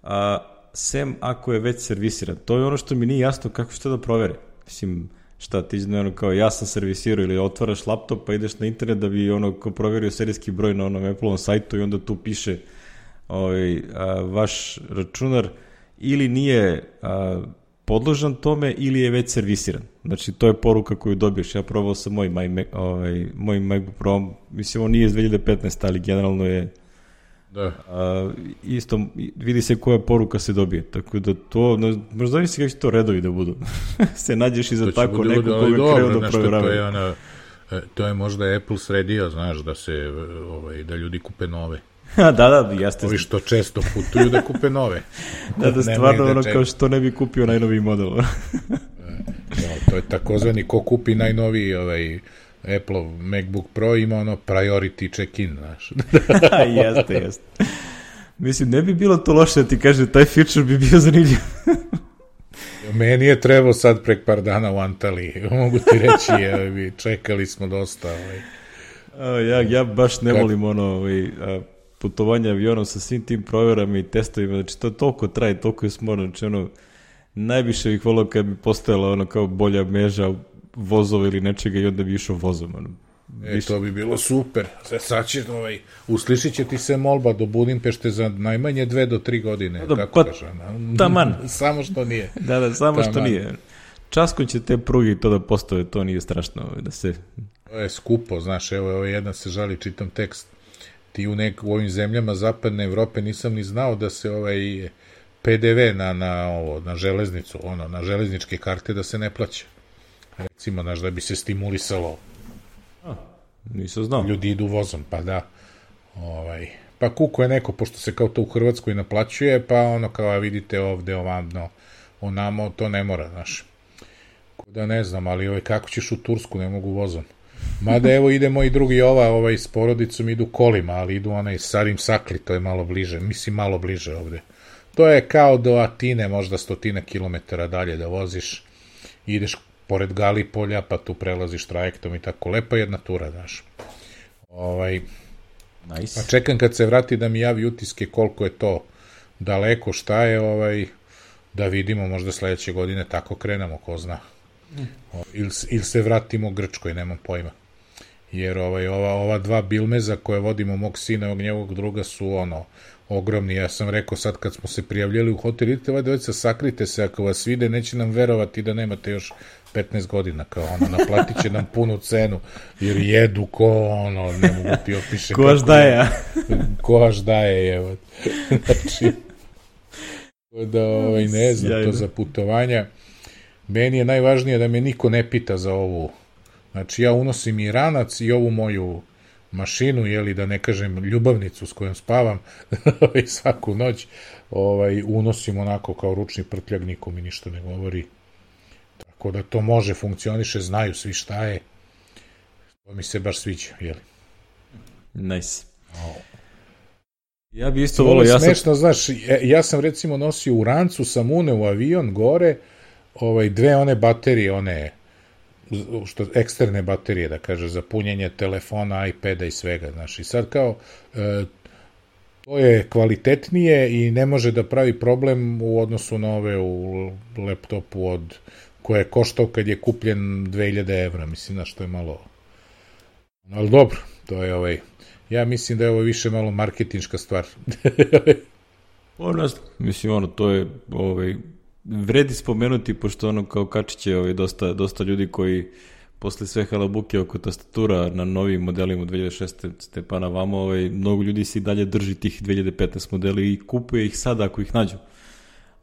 a sem ako je već servisiran. To je ono što mi nije jasno kako će to da provere. Mislim, šta ti ono kao ja sam servisirao ili otvaraš laptop pa ideš na internet da bi ono ko proverio serijski broj na onom Apple-ovom sajtu i onda tu piše ovaj, a, vaš računar ili nije a, podložan tome ili je već servisiran. Znači, to je poruka koju dobiješ. Ja probao sam moj, moj, ovaj, moj MacBook Pro, mislim, on nije iz dve hiljade petnaeste, ali generalno je da. A, isto, vidi se koja poruka se dobije. Tako da to, možda mi se kako će to redovi da budu. se nađeš i za tako budu, nekog koga kreo da provjerava. To je, ona, to je možda Apple sredio, znaš, da se, ovaj, da ljudi kupe nove. da, da, jeste. Ovi što često putuju da kupe nove. da, da, stvarno ono kao što ne bi kupio najnoviji model. ja, to je takozvani ko kupi najnoviji ovaj, Apple MacBook Pro ima ono priority check-in, znaš. jeste, jeste. Mislim, ne bi bilo to loše da ti kaže, taj feature bi bio zanimljiv. Meni je trebao sad prek par dana u Antaliji. Mogu ti reći, je, čekali smo dosta. Ovaj. Ja, ja baš ne volim ono ovaj, putovanje avionom sa svim tim provjerama i testovima, znači to toliko traje, toliko je smorno, znači ono, najviše bih volio kad bi postojala ono kao bolja mreža vozova ili nečega i onda bi išao vozom. Ono. E, to bi bilo super. Sad će, ovaj, uslišit će ti se molba do Budimpešte za najmanje dve do tri godine. Da, kako pa, taman. samo što nije. Da, da, samo taman. Što nije. Časkon će te pruge to da postave, to nije strašno. Da se... To je skupo, znaš, evo, evo jedan se žali, čitam tekst. Ti u, nek, u ovim zemljama zapadne Evrope nisam ni znao da se ovaj P D V na, na, ovo, na železnicu, ono, na železničke karte da se ne plaća. Recimo, znaš, da bi se stimulisalo. A, nisam znao. Ljudi idu vozom, pa da. Ovaj, pa kuko je neko, pošto se kao to u Hrvatskoj naplaćuje, pa ono kao vidite ovde, ovamno, onamo, to ne mora, znaš. Da ne znam, ali ovaj, kako ćeš u Tursku, ne mogu vozom. Mada evo idemo i drugi ova, ovaj s porodicom idu kolima, ali idu onaj Sarim Sakli, to je malo bliže, mislim malo bliže ovde. To je kao do Atine, možda stotina kilometara dalje da voziš, ideš pored Galipolja, pa tu prelaziš trajektom i tako, lepa jedna tura, znaš. Ovaj, nice. Pa čekam kad se vrati da mi javi utiske koliko je to daleko, šta je, ovaj, da vidimo, možda sledeće godine tako krenemo, ko zna. Mm. Ili, ili se vratimo Grčkoj, nemam pojma. Jer ovaj, ova, ova dva bilmeza koje vodimo mog sina i njegovog druga su ono, ogromni. Ja sam rekao sad kad smo se prijavljali u hotel, idite ovaj dvojica, sakrite se, ako vas vide, neće nam verovati da nemate još petnaest godina, kao ono, naplatit će nam punu cenu, jer jedu ko ono, ne mogu ti opiše. Ko aš daje, a? Ko aš daje, evo. Znači, da ovaj, ne znam, Sjajno. To za putovanja. Meni je najvažnije da me niko ne pita za ovu. Znači, ja unosim i ranac i ovu moju mašinu, jeli, da ne kažem ljubavnicu s kojom spavam svaku noć, ovaj, unosim onako kao ručni prtljag, niko mi ništa ne govori. Tako da to može, funkcioniše, znaju svi šta je. To mi se baš sviđa, jeli. Nice. Oh. Ja bi isto volio, ja sam... Smešno, znaš, ja sam recimo nosio u rancu, sam uneo u avion gore, ovaj, dve one baterije, one što, eksterne baterije, da kaže, za punjenje telefona, iPada i svega, znaš, i sad kao, e, to je kvalitetnije i ne može da pravi problem u odnosu na ove u laptopu od, koje je koštao kad je kupljen dve hiljade evra, mislim, znaš, to je malo, ali dobro, to je ovaj, ja mislim da je ovo više malo marketinška stvar. Ono, mislim, ono, to je, ovaj, vredi spomenuti, pošto ono, kao Kačić je ovaj, dosta, dosta ljudi koji posle sve halabuke oko tastatura na novim modelima dve hiljade šeste pa na vamo, ovaj, mnogo ljudi se i dalje drži tih dve hiljade petnaeste modeli i kupuje ih sada ako ih nađu.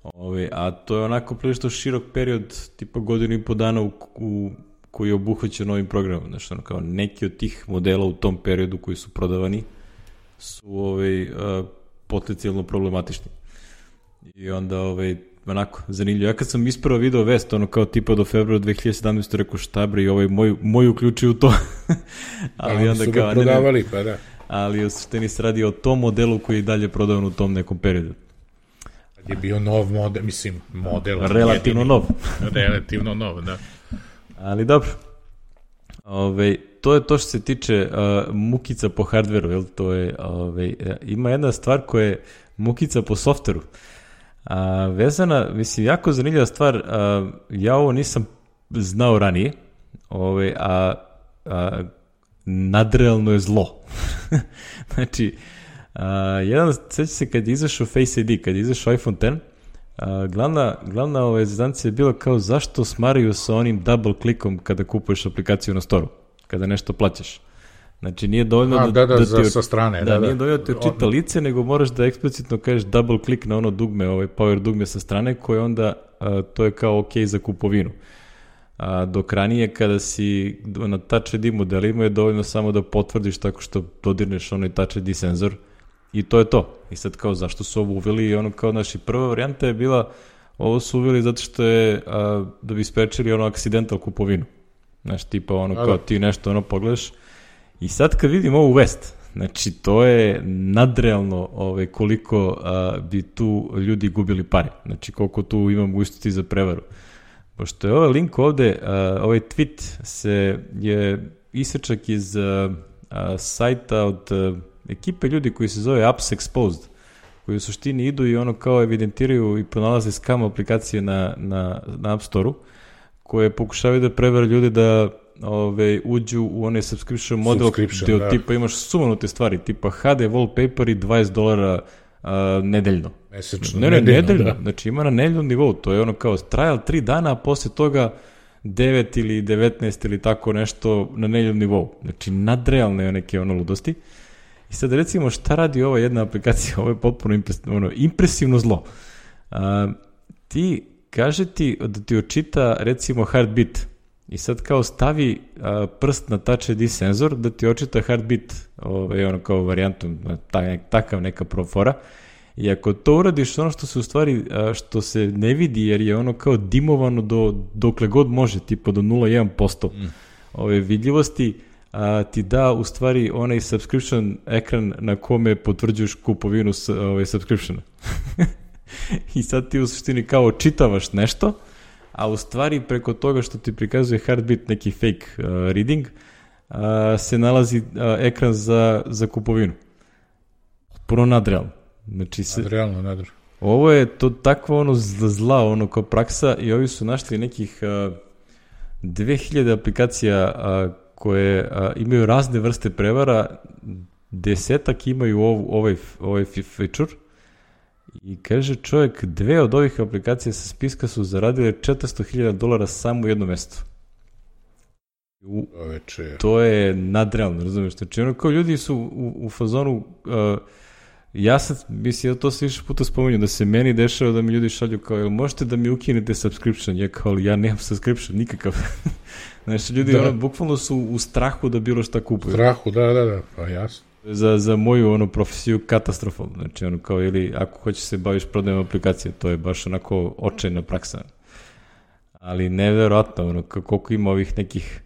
Ove, a to je onako prilično širok period, tipa godinu i po dana u, u, koji je obuhvaćen novim programom. Znači, ono, kao neki od tih modela u tom periodu koji su prodavani su ove, a, potencijalno problematični. I onda, ove, onako, zanimljivo. Ja kad sam ispravo video vest, ono kao tipa do februara dve hiljade sedamnaeste rekao šta bre i ovaj moj, moj uključio u to. Ali da, onda su kao, ga prodavali, pa da. Ali u suštini se radi o tom modelu koji je dalje prodavan u tom nekom periodu. Je bio nov model, mislim, model. Relativno jedini. nov. Relativno nov, da. Ali dobro. Ove, to je to što se tiče uh, mukica po hardveru, jel? To je, ove, ima jedna stvar koja je mukica po softveru. A, vezana, mislim, jako zanimljiva stvar, a, ja ovo nisam znao ranije, ove, a, a nadrealno je zlo. Znači, a, jedan, sveća se kad je izašao Face I D, kad je izašao iPhone X, a, glavna, glavna ove zazdancija je bila kao zašto smaraju sa onim double klikom kada kupuješ aplikaciju na storu, kada nešto plaćaš. Znači, nije dovoljno a, da, da, da, da za, ti, sa strane. Da, da, nije da. dovoljno da ti očita lice, nego moraš da eksplicitno kažeš double click na ono dugme, ovaj power dugme sa strane, koje onda, a, to je kao ok za kupovinu. A, dok ranije, kada si na Touch I D modelima, je dovoljno samo da potvrdiš tako što dodirneš onaj Touch I D senzor i to je to. I sad kao, zašto su ovo uveli? I ono kao, naši prva varijanta je bila, ovo su uveli zato što je, a, da bi sprečili ono accidental kupovinu. Znaš, tipa ono kao ti nešto ono pogledaš. I sad kad vidim ovu vest, znači to je nadrealno ovaj, koliko a, bi tu ljudi gubili pare. Znači koliko tu ima mogućnosti za prevaru. Pošto je ovaj link ovde, a, ovaj tweet se je isečak iz a, a, sajta od a, ekipe ljudi koji se zove Apps Exposed, koji u suštini idu i ono kao evidentiraju i pronalaze scam aplikacije na, na, na App Store-u, koje pokušavaju da prevare ljudi da ove, uđu u onaj subscription model gde da. Tipa imaš sumanute stvari, tipa H D wallpaper i dvadeset dolara a, nedeljno. Mesečno. Ne, ne, nedeljno, nedeljno. Da. Znači ima na nedeljnom nivou, to je ono kao trial tri dana, a posle toga devet ili devetnaest ili tako nešto na nedeljnom nivou. Znači nadrealne neke ono ludosti. I sad recimo šta radi ova jedna aplikacija, ovo je potpuno impresivno, ono, impresivno zlo. A, ti kaže ti da ti očita recimo heartbeat i sad kao stavi a, prst na Touch I D senzor da ti očita heartbeat, ovaj, ono kao varijantu, tak, takav neka profora. I ako to uradiš, ono što se u stvari, a, što se ne vidi jer je ono kao dimovano do, dokle god može, tipa do nula zarez jedan posto mm. ove vidljivosti, a, ti da u stvari onaj subscription ekran na kome potvrđuješ kupovinu s, ovaj, subscriptiona. I sad ti u suštini kao čitavaš nešto, a u stvari preko toga što ti prikazuje heartbeat, neki fake uh, reading, uh, se nalazi uh, ekran za, za kupovinu. Puno nadrealno. Znači, se, nadrealno, nadrealno. Ovo je to takva ono zla, ono kao praksa i ovi su našli nekih uh, dve hiljade aplikacija uh, koje uh, imaju razne vrste prevara, desetak imaju ov, ovaj, ovaj feature. I kaže čovjek, dve od ovih aplikacija sa spiska su zaradile četiristo hiljada dolara samo u jednom mestu. U, to je nadrealno, razumiješ? Znači, ono kao ljudi su u, u fazonu, uh, ja sam, mislim, ja to se više puta spominju, da se meni dešava da mi ljudi šalju kao, jel možete da mi ukinete subscription? Ja kao, ja nemam subscription, nikakav. Znači, ljudi da. ono, bukvalno su u strahu da bilo šta kupuju. U strahu, da, da, da, pa jasno. Za, za moju ono profesiju katastrofalno, znači ono kao ili ako hoćeš se baviš prodajem aplikacije, to je baš onako očajna praksa. Ali nevjerojatno, ono, koliko ima ovih nekih,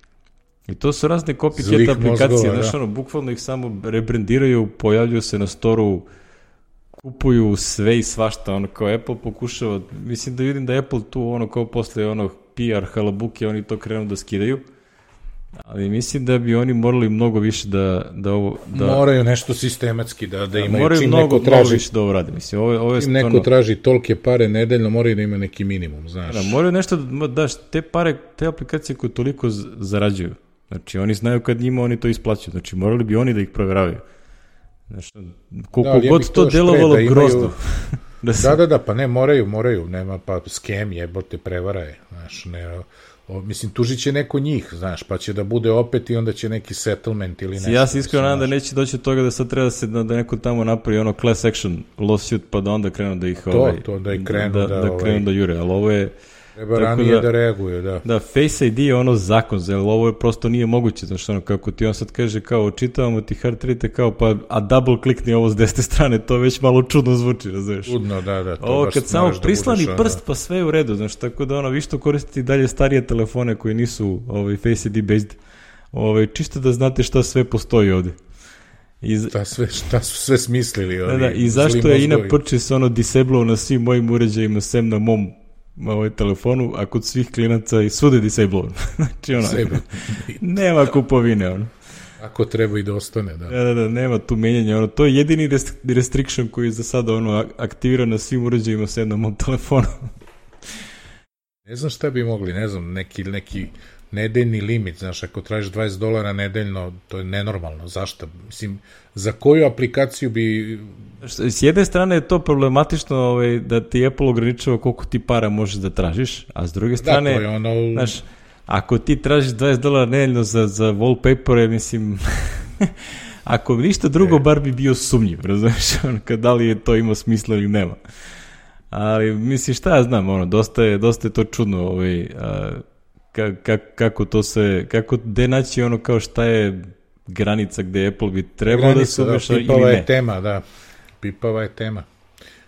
i to su razne copycat aplikacije, znači ono, bukvalno ih samo rebrandiraju, pojavljuju se na storu, kupuju sve i svašta, ono kao Apple pokušava, mislim da vidim da Apple tu ono kao posle ono P R halabuke, oni to krenu da skidaju. Ali mislim da bi oni morali mnogo više da, da ovo... Da, moraju nešto sistematski da, da imaju. Moraju čim mnogo, neko traži, mnogo više da ovo radi. Mislim, ovo, ovo je čim stvarno, neko traži tolke pare nedeljno, moraju da ima neki minimum, znaš. Da, moraju nešto da daš, te pare, te aplikacije koje toliko zarađuju. Znači, oni znaju kad njima oni to isplaćuju. Znači, morali bi oni da ih provjeravaju. Znači, koliko da, god to, to delovalo da imaju, grozno. Da, se... da, da, da, pa ne, moraju, moraju, nema, pa skem jebote, prevara je, znaš, ne, o, mislim, tužit će neko njih, znaš, pa će da bude opet i onda će neki settlement ili nešto. Ja se iskreno nadam da neće doći od toga da sad treba da se, da, da neko tamo napravi ono class action lawsuit, pa da onda krenu da ih, to, ovaj, to, da ih krenu da, da, da, da krenu ovaj, da jure, ali ovo je... Treba ranije da, da reaguju, da. Da, Face I D je ono zakon, ali ovo je prosto nije moguće, znaš, ono, kako ti on sad kaže, kao, očitavamo ti hard rate, kao, pa, a double klikni ovo s desete strane, to već malo čudno zvuči, razumiješ? Čudno, da, da. To ovo kad samo prislani da prst, pa sve je u redu, znaš, tako da, ono, vi što koristite dalje starije telefone koji nisu, ovaj, Face I D based, ovaj, čisto da znate šta sve postoji ovde. I, šta, sve, šta su sve smislili ovi, da, da, i zašto je ina purchase ono disableo na svim mojim uređajima, sem na mom ovaj telefonu, a kod svih klinaca i svude disable. Znači ono, nema kupovine, ono. Ako treba i da ostane, da. Da, da, da, nema tu menjanja, ono, to je jedini rest, restriction koji je za sada, ono, aktivira na svim uređajima sem na mom telefonu. Ne znam šta bi mogli, ne znam, neki, neki nedeljni limit, znaš, ako tražiš dvadeset dolara nedeljno, to je nenormalno, zašto? Mislim, za koju aplikaciju bi... S jedne strane je to problematično ovaj, da ti Apple ograničava koliko ti para možeš da tražiš, a s druge strane, da, to je ono... znaš, ako ti tražiš dvadeset dolara nedeljno za, za wallpapere, mislim, ako ništa drugo, e. bar bi bio sumnjiv, razumiješ, kad da li je to ima smisla ili nema. Ali, mislim, šta ja znam, ono, dosta je, dosta je to čudno, ovaj, a, ka, ka, kako to se, kako, gde naći ono kao šta je granica gde Apple bi trebao granica, da se umeša ili ne. Pipava je tema, da. Pipava je tema.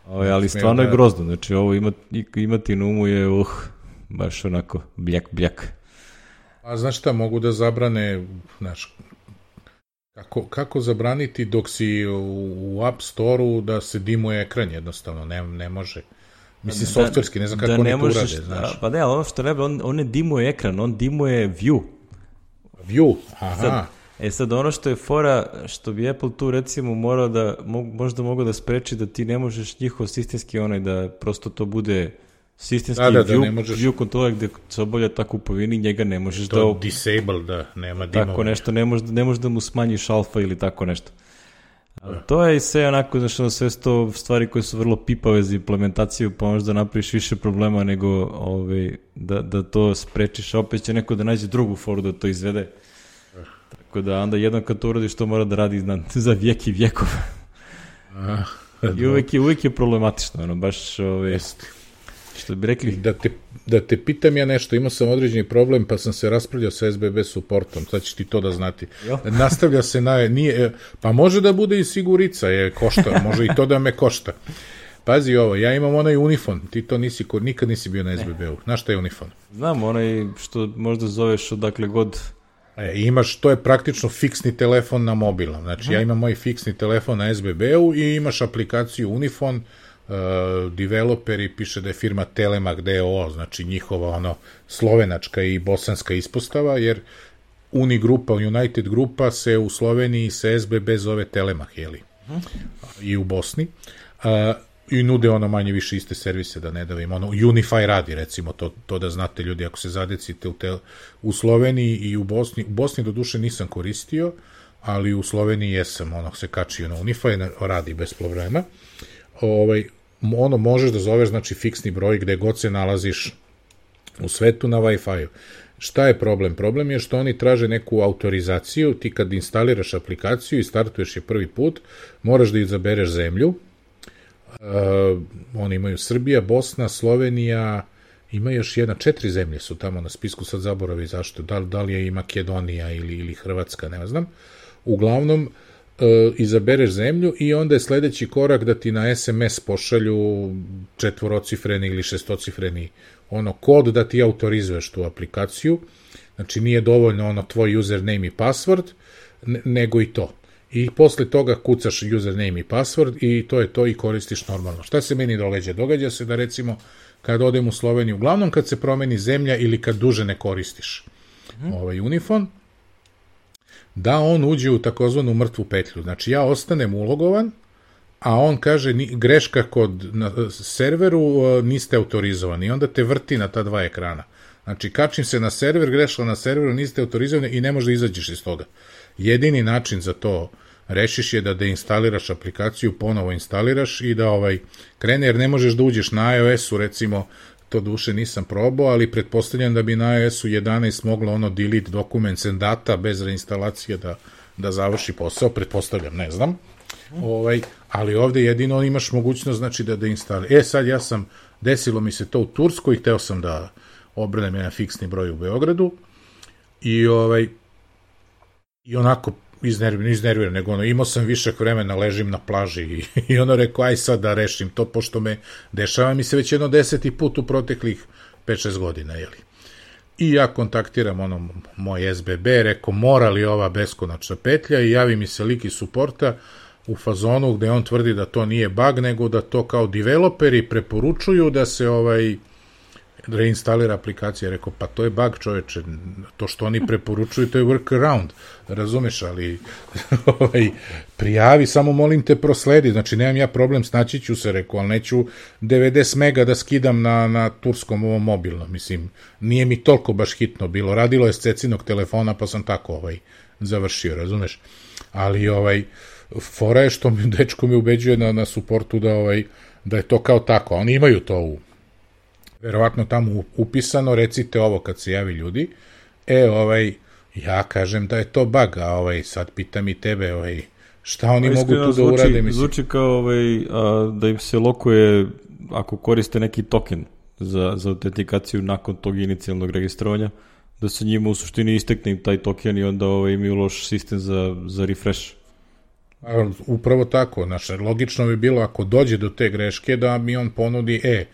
Ovo, ali stvarno je grozno, znači ovo ima, imati na umu je, uh, baš onako, bljak, bljak. A znaš šta, mogu da zabrane, znaš, kako, kako zabraniti dok si u, u App Store-u da se dimuje ekran jednostavno, ne, ne može. Mislim, da, softverski, ne znam kako da oni to urade, znaš. Pa ne, ali ono što ne, on, on ne dimuje ekran, on dimuje view. View, aha. Sad, e sad, ono što je fora, što bi Apple tu recimo morao da, možda mogu da spreči da ti ne možeš njihov sistemski onaj, da prosto to bude sistemski da, da, view, da možeš... view kontrola gde se obavlja ta kupovina i njega ne možeš to da... disable, da, nema dimova. Tako nešto, ne možeš, ne možeš da mu smanjiš alfa ili tako nešto. Ali to je sve onako, znaš, ono, sve sto stvari koje su vrlo pipave za implementaciju, pa možda napraviš više problema nego ovaj, da, da to sprečiš, a opet će neko da nađe drugu foru da to izvede. Tako da onda jednom kad to uradiš, to mora da radi na, za vijek i vijekov. I uvijek je, uvijek je problematično, ono, baš, ovaj, što bi rekli... Da te, da te pitam ja nešto, imao sam određeni problem, pa sam se raspravljao sa S B B supportom, sad ćeš ti to da znati. Jo. Nastavlja se na... Nije, pa može da bude i sigurica, je košta, može i to da me košta. Pazi ovo, ja imam onaj Unifon, ti to nisi, nikad nisi bio na S B B-u. Znaš šta je Unifon? Znam, onaj što možda zoveš odakle god... E, imaš, to je praktično fiksni telefon na mobilnom. Znači, hmm. ja imam moj fiksni telefon na S B B-u i imaš aplikaciju Unifon, uh, developeri, piše da je firma Telemak D O O, znači njihova ono slovenačka i bosanska ispostava, jer Uni grupa, United grupa se u Sloveniji se S B B zove Telemak, jeli? Hmm. I u Bosni. Uh, i nude ono manje više iste servise, da ne davim, ono Unify radi, recimo, to, to da znate ljudi, ako se zadecite u, te, u Sloveniji i u Bosni, u Bosni do duše nisam koristio, ali u Sloveniji jesam, ono se kačio na Unify, radi bez problema. Ovaj, ono možeš da zoveš, znači, fiksni broj gde god se nalaziš u svetu na Wi-Fi-u. Šta je problem? Problem je što oni traže neku autorizaciju, ti kad instaliraš aplikaciju i startuješ je prvi put, moraš da izabereš zemlju. Uh, oni imaju Srbija, Bosna, Slovenija, ima još jedna, četiri zemlje su tamo na spisku, sad zaboravi zašto, da, da li je i Makedonija ili, ili Hrvatska, ne znam. Uglavnom, uh, izabereš zemlju i onda je sledeći korak da ti na es em es pošalju četvorocifreni ili šestocifreni ono kod da ti autorizuješ tu aplikaciju. Znači nije dovoljno ono tvoj username i password, ne, nego i to. I posle toga kucaš username i password i to je to i koristiš normalno. Šta se meni događa? Događa se da recimo kad odem u Sloveniju, uglavnom kad se promeni zemlja ili kad duže ne koristiš mm. ovaj Unifon, da on uđe u takozvanu mrtvu petlju. Znači ja ostanem ulogovan, a on kaže ni, greška kod na serveru, uh, niste autorizovani i onda te vrti na ta dva ekrana. Znači kačim se na server, greška na serveru, niste autorizovani i ne možeš da izađeš iz toga. Jedini način za to rešiš je da deinstaliraš aplikaciju, ponovo instaliraš i da ovaj krene, jer ne možeš da uđeš na iOS-u, recimo, to duše nisam probao, ali pretpostavljam da bi na iOS-u jedanaest moglo ono delete documents and data bez reinstalacije da, da završi posao, pretpostavljam, ne znam. Ovaj, ali ovde jedino imaš mogućnost, znači, da deinstaliraš. E, sad ja sam, desilo mi se to u Turskoj, hteo sam da obranem jedan fiksni broj u Beogradu i ovaj i onako iznerviran, iznerviran, nego ono, imao sam višak vremena, ležim na plaži i, i ono rekao, aj sad da rešim to, pošto me dešava mi se već jedno deseti put u proteklih pet šest godina, jeli. I ja kontaktiram ono moj S B B, rekao, mora li ova beskonačna petlja, i javi mi se lik iz suporta u fazonu gde on tvrdi da to nije bug, nego da to kao developeri preporučuju da se ovaj reinstalira aplikacija. Rekao, pa to je bug, čoveče, to što oni preporučuju, to je workaround, razumeš, ali ovaj, prijavi, samo molim te prosledi, znači nemam ja problem, snaći ću se, rekao, ali neću devedeset mega da skidam na, na turskom ovom mobilnom, mislim, nije mi toliko baš hitno bilo, radilo je s cecinog telefona, pa sam tako ovaj, završio, razumeš, ali ovaj, fora je što mi dečko mi ubeđuje na, na suportu da, ovaj, da je to kao tako, oni imaju to u verovatno tamo upisano, recite ovo kad se javi ljudi, e, ovaj, ja kažem da je to bug, a ovaj, sad pitam i tebe, ovaj, šta oni pa, mogu tu da zvuči, urade, mislim. Zvuči kao ovaj, a, da im se lokuje ako koriste neki token za, za autentikaciju nakon tog inicijalnog registrovanja, da se njima u suštini istekne im taj token i onda ovaj, imaju loš sistem za, za refresh. A, upravo tako, znaš, logično bi bilo ako dođe do te greške da mi on ponudi, e,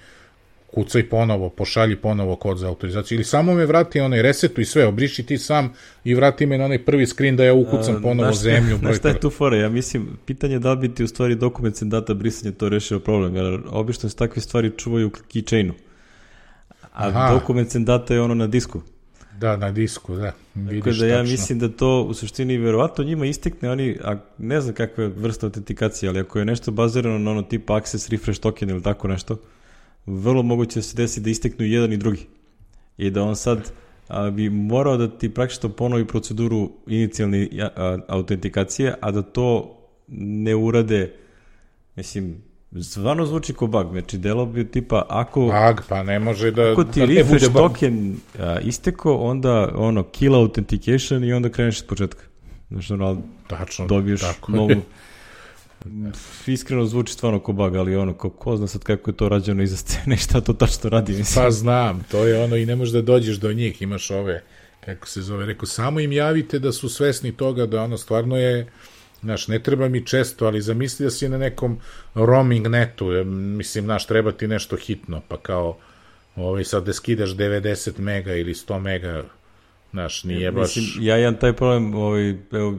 kucaj ponovo, pošalji ponovo kod za autorizaciju, ili samo me vrati onaj resetu i sve, obriši ti sam i vrati me na onaj prvi screen da ja ukucam ponovo A, zemlju. Znaš šta je tu fora? Ja mislim, pitanje da li bi ti u stvari documents and data brisanje to rešio problem, jer obično se takve stvari čuvaju u keychainu. A Aha. documents and data je ono na disku. Da, na disku, da. Vidiš, tako da ja tačno. Mislim da to u suštini verovatno njima istekne, oni, a ne znam kakva je vrsta autentikacije, ali ako je nešto bazirano na ono tipa access refresh token ili tako nešto, vrlo moguće da se desi da isteknu jedan i drugi. I da on sad a, bi morao da ti praktično ponovi proceduru inicijalne a, autentikacije, a da to ne urade, mislim, stvarno zvuči ko bug. Znači, delo bi tipa, ako... Bug, pa ne može da... Ako ti da refresh token a, isteko, onda ono, kill authentication i onda kreneš iz početka. Znači, ono, tačno, dobiješ tako. novu... Iskreno zvuči stvarno ko bug, ali ono, ko, ko zna sad kako je to rađeno iza scene i šta to tačno radi, mislim. Pa znam, to je ono i ne možeš da dođeš do njih, imaš ove, kako se zove, rekao, samo im javite da su svesni toga da ono stvarno je, znaš, ne treba mi često, ali zamisli da si na nekom roaming netu, mislim, znaš, treba ti nešto hitno, pa kao, ovaj, sad da skidaš devedeset mega ili sto mega, znaš, nije baš... Mislim, ja imam taj problem, ovaj, evo,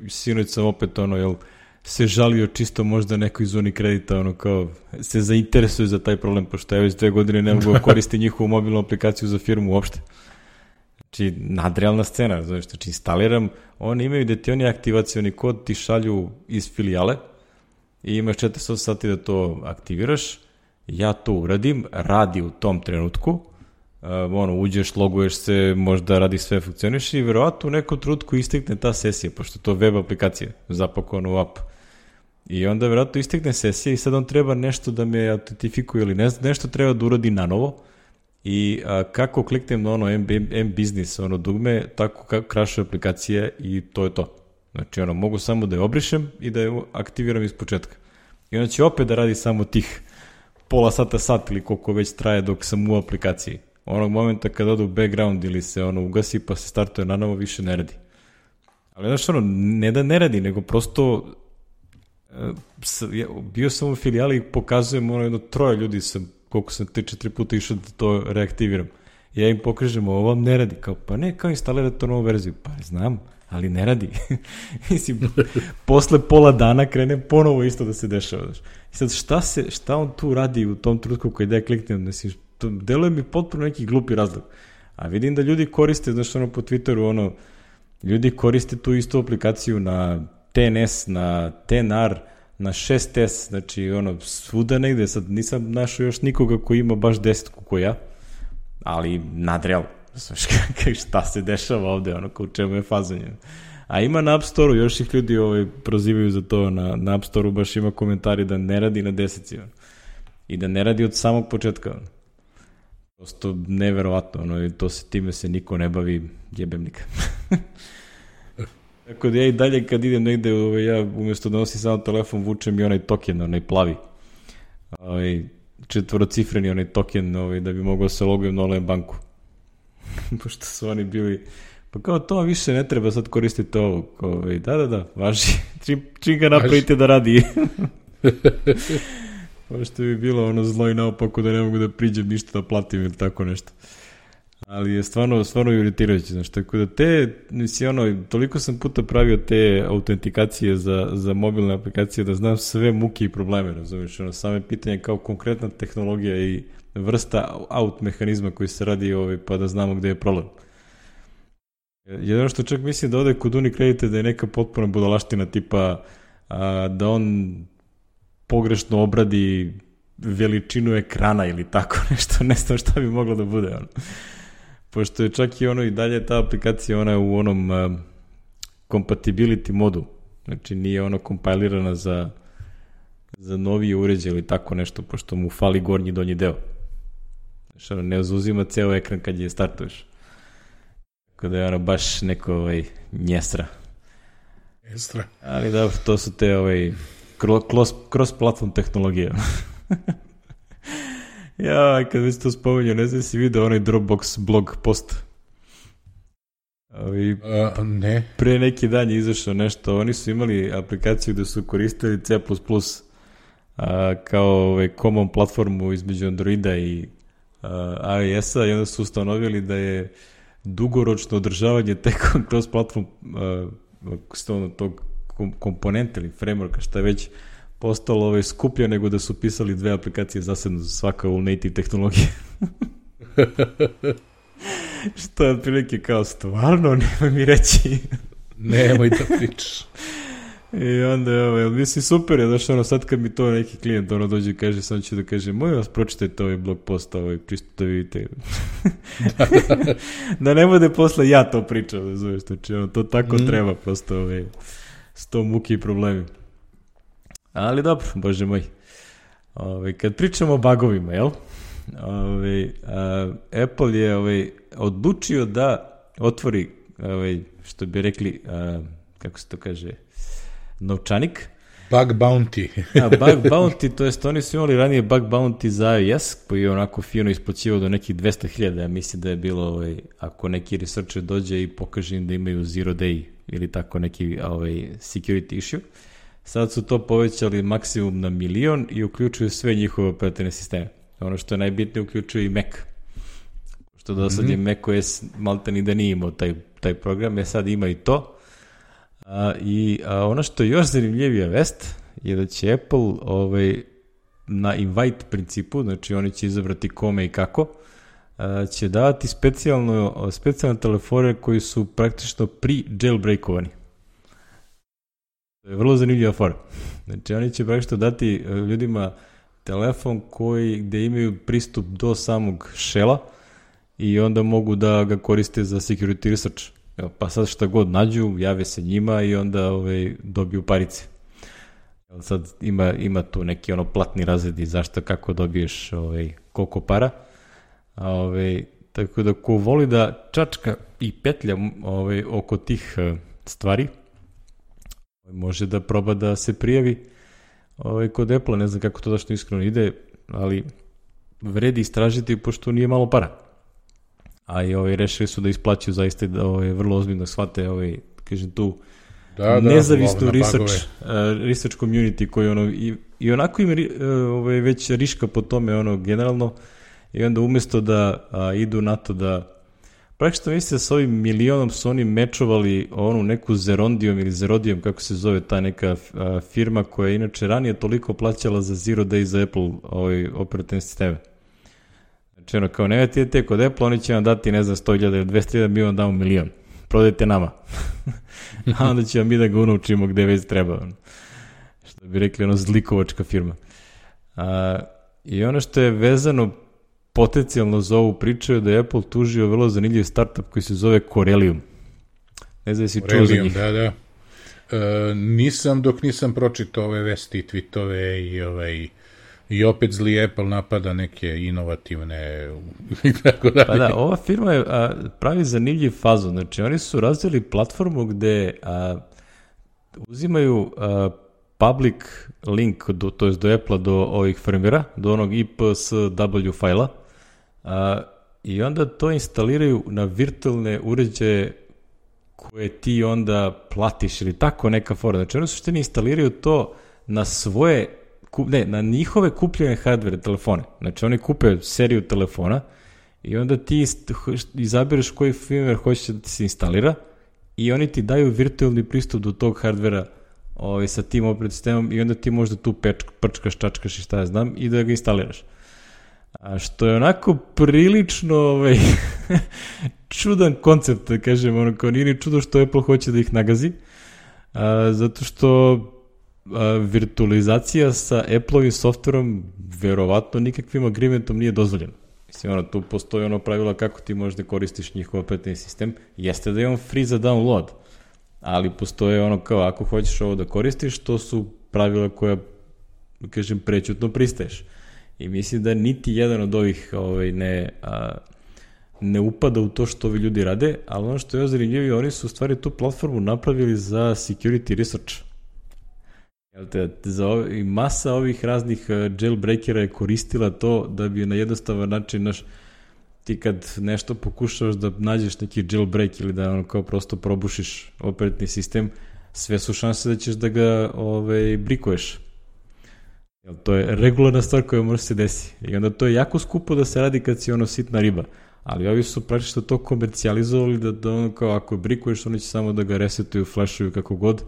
sinoć sam opet, ono, jel, se žalio čisto možda neko iz Unikredita, ono kao, se zainteresuje za taj problem, pošto ja već dve godine ne mogu koristiti njihovu mobilnu aplikaciju za firmu uopšte. Znači, nadrealna scena, znači, znači instaliram, oni imaju da ti oni aktivacioni kod ti šalju iz filijale i imaš četrdeset osam sati da to aktiviraš, ja to uradim, radi u tom trenutku, uh, ono, uđeš, loguješ se, možda radi sve, funkcioniš i verovatno u nekom trenutku istekne ta sesija, pošto to web aplikacija, zapakovano u app. I onda verovatno istekne sesija i sad on treba nešto da me autentifikuje ili ne, nešto treba da uradi na novo i a, kako kliknem na ono M-Business, ono dugme, tako krašuje aplikacije i to je to. Znači, ono, mogu samo da je obrišem i da je aktiviram iz početka. I onda će opet da radi samo tih pola sata, sat ili koliko već traje dok sam u aplikaciji. Onog momenta kada ode u background ili se ono ugasi pa se startuje na novo, više ne radi. Ali znaš, ono, ne da ne radi, nego prosto bio sam u filijali i pokazujem ono jedno troje ljudi sam, koliko sam tri četiri puta išao da to reaktiviram. Ja im pokažem, ovo vam ne radi. Kao, pa ne, kao instalirati to novu verziju. Pa znam, ali ne radi. Mislim, posle pola dana krene ponovo isto da se dešava. I sad, šta, se, šta on tu radi u tom trenutku koji da ja kliknem? Mislim, to deluje mi potpuno neki glupi razlog. A vidim da ljudi koriste, znaš, ono po Twitteru, ono, ljudi koriste tu istu aplikaciju na T N S, na T N R, na šest S, znači ono, svuda negde, sad nisam našao još nikoga koji ima baš desetku ko ja, ali nadreal, šta se dešava ovde, ono, kao u čemu je fazanje. A ima na App Store-u, još ih ljudi ovaj, prozivaju za to, na, na App Store-u baš ima komentari da ne radi na deseci, ono. I da ne radi od samog početka, ono. Prosto neverovatno, ono, i to se time se niko ne bavi, jebem nikad. Tako da ja i dalje kad idem negde, ovaj, ja umjesto da nosim samo telefon, vučem i onaj token, onaj plavi. Ovaj, četvorocifreni onaj token, ovaj, da bi mogao se logujem na online banku. Pošto su oni bili, pa kao to više ne treba sad koristiti ovo. Ovaj, da, da, da, važi. Čim, čim ga napravite da radi. Pošto bi bilo ono zlo i naopako da ne mogu da priđem ništa da platim ili tako nešto. Ali je stvarno, stvarno iritirajuće, znaš, tako da te, misli, ono, toliko sam puta pravio te autentikacije za, za mobilne aplikacije da znam sve muke i probleme, razumiješ, ono, same pitanje kao konkretna tehnologija i vrsta out mehanizma koji se radi, ovaj, pa da znamo gde je problem. Jedno što čak mislim da ode kod Unicredite da je neka potpuna budalaština tipa a, da on pogrešno obradi veličinu ekrana ili tako nešto, ne znam šta bi moglo da bude, ono. Pošto je čak i ono i dalje ta aplikacija, ona je u onom uh, compatibility modu, znači nije ono kompilirana za, za novije uređaje ili tako nešto, pošto mu fali gornji donji deo. Znači, ono, ne uzuzima ceo ekran kad je startuješ. Tako da je ono baš neko ovaj, njesra. Njesra. Ali dobro, to su te ovaj, cross, cross-platform tehnologije. Ja, kad već to spominjao, ne znam si vidio onaj Dropbox blog post. Ovi, uh, ne. Pre neki dan je izašao nešto, oni su imali aplikaciju gde su koristili C plus plus a, kao ovaj, common platformu između Androida i a, iOS-a i onda su ustanovili da je dugoročno održavanje te cross platform a, tog komponenta ili frameworka, šta je već postalo ovaj, skuplje nego da su pisali dve aplikacije zasedno za svaka u native tehnologije. Što je otprilike kao stvarno, nema mi reći. Nemoj da pričaš. I onda je, ovaj, mislim, super je, znaš, ono, sad kad mi to neki klijent ono dođe i kaže, sam ću da kaže, moj vas pročitajte ovaj blog post, ovaj, čisto da vidite. da, da. Da ne bude posle ja to pričam, da zoveš, znači, ono, to tako mm. treba, prosto, ovaj, sto muki i problemi. Ali dobro, bože moj. Ove, kad pričamo o bugovima, jel? Ove, a, Apple je ove, odlučio da otvori, ove, što bi rekli, a, kako se to kaže, novčanik. Bug bounty. a, bug bounty, to jest oni su imali ranije bug bounty za iOS, koji je onako fino isplaćivao do nekih dvesta hiljada. Ja mislim da je bilo, ove, ako neki researcher dođe i pokaže im da imaju zero day ili tako neki ove, security issue. Sad su to povećali maksimum na milion i uključuju sve njihove operativne sisteme. Ono što je najbitnije, uključuje i Mac. Što do sad mm-hmm. je macOS malta ni da nije imao taj, taj program, je sad ima i to. A, I a ono što je još zanimljivija vest je da će Apple ovaj, na invite principu, znači oni će izabrati kome i kako, a, će davati specijalno, specijalne telefone koji su praktično pri-jailbreakovani. To je vrlo zanimljiva fora. Znači, oni će praktično dati ljudima telefon koji, gde imaju pristup do samog shella i onda mogu da ga koriste za security research. Evo, pa sad šta god nađu, jave se njima i onda ovaj, dobiju parice. Evo, sad ima, ima tu neki ono platni razredi zašto, kako dobiješ ovaj, koliko para. A, ovaj, tako da ko voli da čačka i petlja ovaj, oko tih uh, stvari, može da proba da se prijavi ovaj, kod Apple, ne znam kako to dašto iskreno ide, ali vredi istražiti pošto nije malo para. A i ovaj, rešili su da isplaćaju zaista da ovaj, vrlo ozbiljno shvate ovaj, kažem tu da, nezavisnu da, research, uh, research community koji ono, i, i onako im uh, ovaj, već riška po tome ono, generalno i onda umjesto da a, idu na to da praktično mislim da s ovim milionom su oni mečovali onu neku Zerondijom ili Zerodijom, kako se zove ta neka a, firma koja je inače ranije toliko plaćala za Zero Day za Apple ovaj, operativne sisteme. Znači ono kao ne te kod Apple, oni će vam dati ne znam sto hiljada ili dvesta hiljada, mi vam damo milion. Prodajte nama. A onda će vam mi da ga unučimo gde već treba. Što bi rekli ono zlikovačka firma. A, I ono što je vezano potencijalno za ovu priču je da je Apple tužio vrlo zanimljiv startup koji se zove Corellium. Ne znam si čuo za njih. Da, da. E, nisam dok nisam pročitao ove vesti, tweetove i ovaj... I opet zli Apple napada neke inovativne i tako dalje. Pa da, ova firma je a, pravi zanimljiv fazon. Znači, oni su razvili platformu gde a, uzimaju a, public link, do, to je do Apple-a, do ovih firmware-a, do onog I P S W fajla, a, i onda to instaliraju na virtualne uređaje koje ti onda platiš ili tako neka fora. Znači, oni su što ne instaliraju to na svoje ne, na njihove kupljene hardware telefone. Znači, oni kupe seriju telefona i onda ti izabereš koji firmware hoćeš da ti se instalira i oni ti daju virtualni pristup do tog hardvera ovaj, sa tim operativnim sistemom i onda ti možda tu peč, prčkaš, čačkaš i šta ja znam i da ga instaliraš. A što je onako prilično ovaj, čudan koncept, da kažem, ono kao nije ni čudo što Apple hoće da ih nagazi, a, zato što a, virtualizacija sa Apple-ovim softverom verovatno nikakvim agreementom nije dozvoljena. Mislim, ono, tu postoji ono pravila kako ti možda koristiš njihov operativni sistem, jeste da je on free za download, ali postoje ono kao ako hoćeš ovo da koristiš, to su pravila koja, kažem, prećutno pristaješ. I mislim da niti jedan od ovih ovaj, ne, a, ne upada u to što ovi ljudi rade, ali ono što je zanimljivo, oni su u stvari tu platformu napravili za security research. Te, za ove, i masa ovih raznih jailbreakera je koristila to da bi na jednostavan način naš, ti kad nešto pokušavaš da nađeš neki jailbreak ili da ono kao prosto probušiš operativni sistem, sve su šanse da ćeš da ga ovaj, brikuješ. Jel, to je regularna stvar koja može se desi. I onda to je jako skupo da se radi kad si ono sitna riba. Ali ovi su praktično to komercijalizovali da, da ono kao ako brikuješ, oni će samo da ga resetuju, flashuju kako god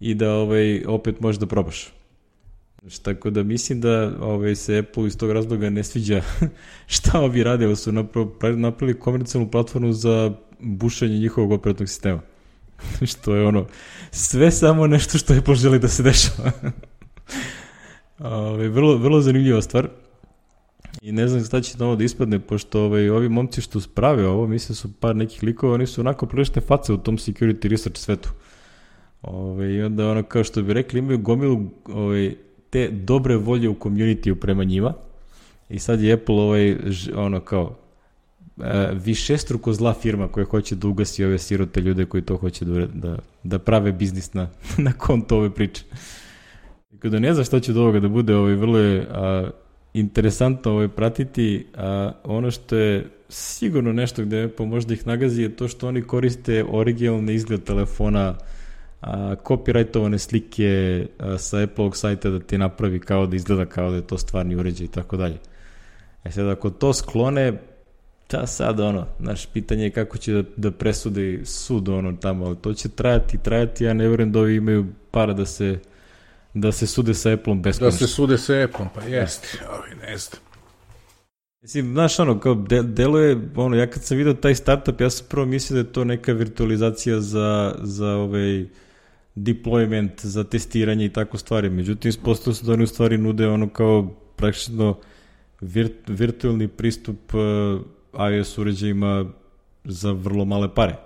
i da ovaj, opet možeš da probaš. Znači, tako da mislim da ovaj, se Apple iz tog razloga ne sviđa šta ovi rade, ali su napravili, napravili komercijalnu platformu za bušenje njihovog operativnog sistema. Što je ono, sve samo nešto što Apple želi da se dešava. Ove, vrlo, vrlo zanimljiva stvar i ne znam šta će novo da ispadne, pošto ove, ovi momci što sprave ovo, mislim su par nekih likova, oni su onako prilične face u tom security research svetu. Ove, i onda ono kao što bi rekli, imaju gomilu ove, te dobre volje u community prema njima i sad je Apple ovaj, ono kao e, višestruko zla firma koja hoće da ugasi ove sirote ljude koji to hoće da, da, da prave biznis na, na konto ove priče. Kada ne znam šta će od ovoga da bude, ovaj, vrlo je a, interesantno ovaj, pratiti, a ono što je sigurno nešto gde Apple možda ih nagazi je to što oni koriste originalni izgled telefona, a, copyrightovane slike a, sa Apple-ovog sajta da ti napravi kao da izgleda kao da je to stvarni uređaj i tako dalje. E sad, ako to sklone, ta sad ono, naš pitanje je kako će da, da presudi sud ono tamo, ali to će trajati, trajati, ja ne vjerujem da ovi imaju para da se da se sude sa Apple-om beskonačno. Da se sude sa Apple-om, pa jeste, ovi ne znam. Mislim, znaš, ono, kao de, deluje, ono, ja kad sam vidio taj startup, ja sam prvo mislio da je to neka virtualizacija za, za ovaj deployment, za testiranje i tako stvari. Međutim, ispostavilo se da oni u stvari nude ono kao praktično vir, virtualni pristup uh, iOS uređajima za vrlo male pare.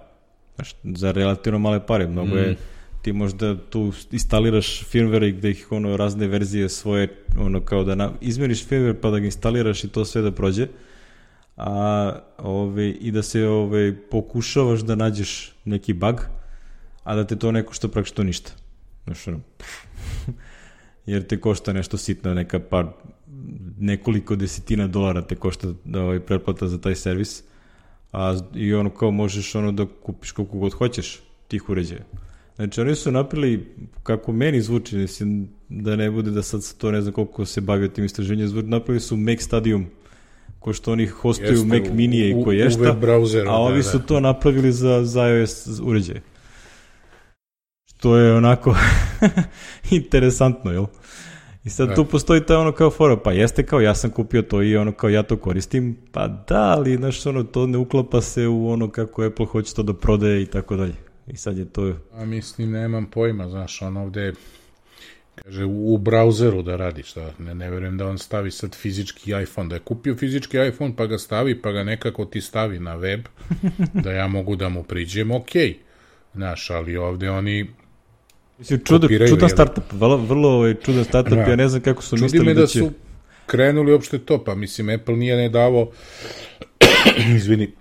Znaš, za relativno male pare. Mnogo mm. je ti možda tu instaliraš firmware i gde ih ono razne verzije svoje, ono kao da na, izmeriš firmware pa da ga instaliraš i to sve da prođe, a ove, i da se ove, pokušavaš da nađeš neki bug, a da te to ne košta praktično ništa. Znaš, ono, jer te košta nešto sitno, neka par, nekoliko desetina dolara te košta da ovaj, pretplata za taj servis, a i ono kao možeš ono da kupiš koliko god hoćeš tih uređaja. Znači, oni su napravili, kako meni zvuči, mislim, da ne bude da sad to ne znam koliko se bavio tim istraženjem, zvuči, napravili su Mac Stadium, ko što oni hostuju Jeste, Mac Minije i koješta, a ovi da, su da. to napravili za, za iOS uređaje. Što je onako interesantno, jel? I sad da. tu postoji ta ono kao fora, pa jeste kao ja sam kupio to i ono kao ja to koristim, pa da, ali znaš, ono, to ne uklapa se u ono kako Apple hoće to da prodaje i tako dalje. I sad je to... A mislim, nemam pojma, znaš, on ovde kaže u brauzeru da radi, šta, ne, ne verujem da on stavi sad fizički iPhone, da je kupio fizički iPhone pa ga stavi, pa ga nekako ti stavi na web, da ja mogu da mu priđem, okej, Znaš, ali ovde oni Mislim, čudo, čudan startup, vrlo, vrlo ovaj, čudan startup, ja. ja ne znam kako su Čudi mislili me da, da će... su krenuli uopšte to, pa mislim, Apple nije ne davo, izvini,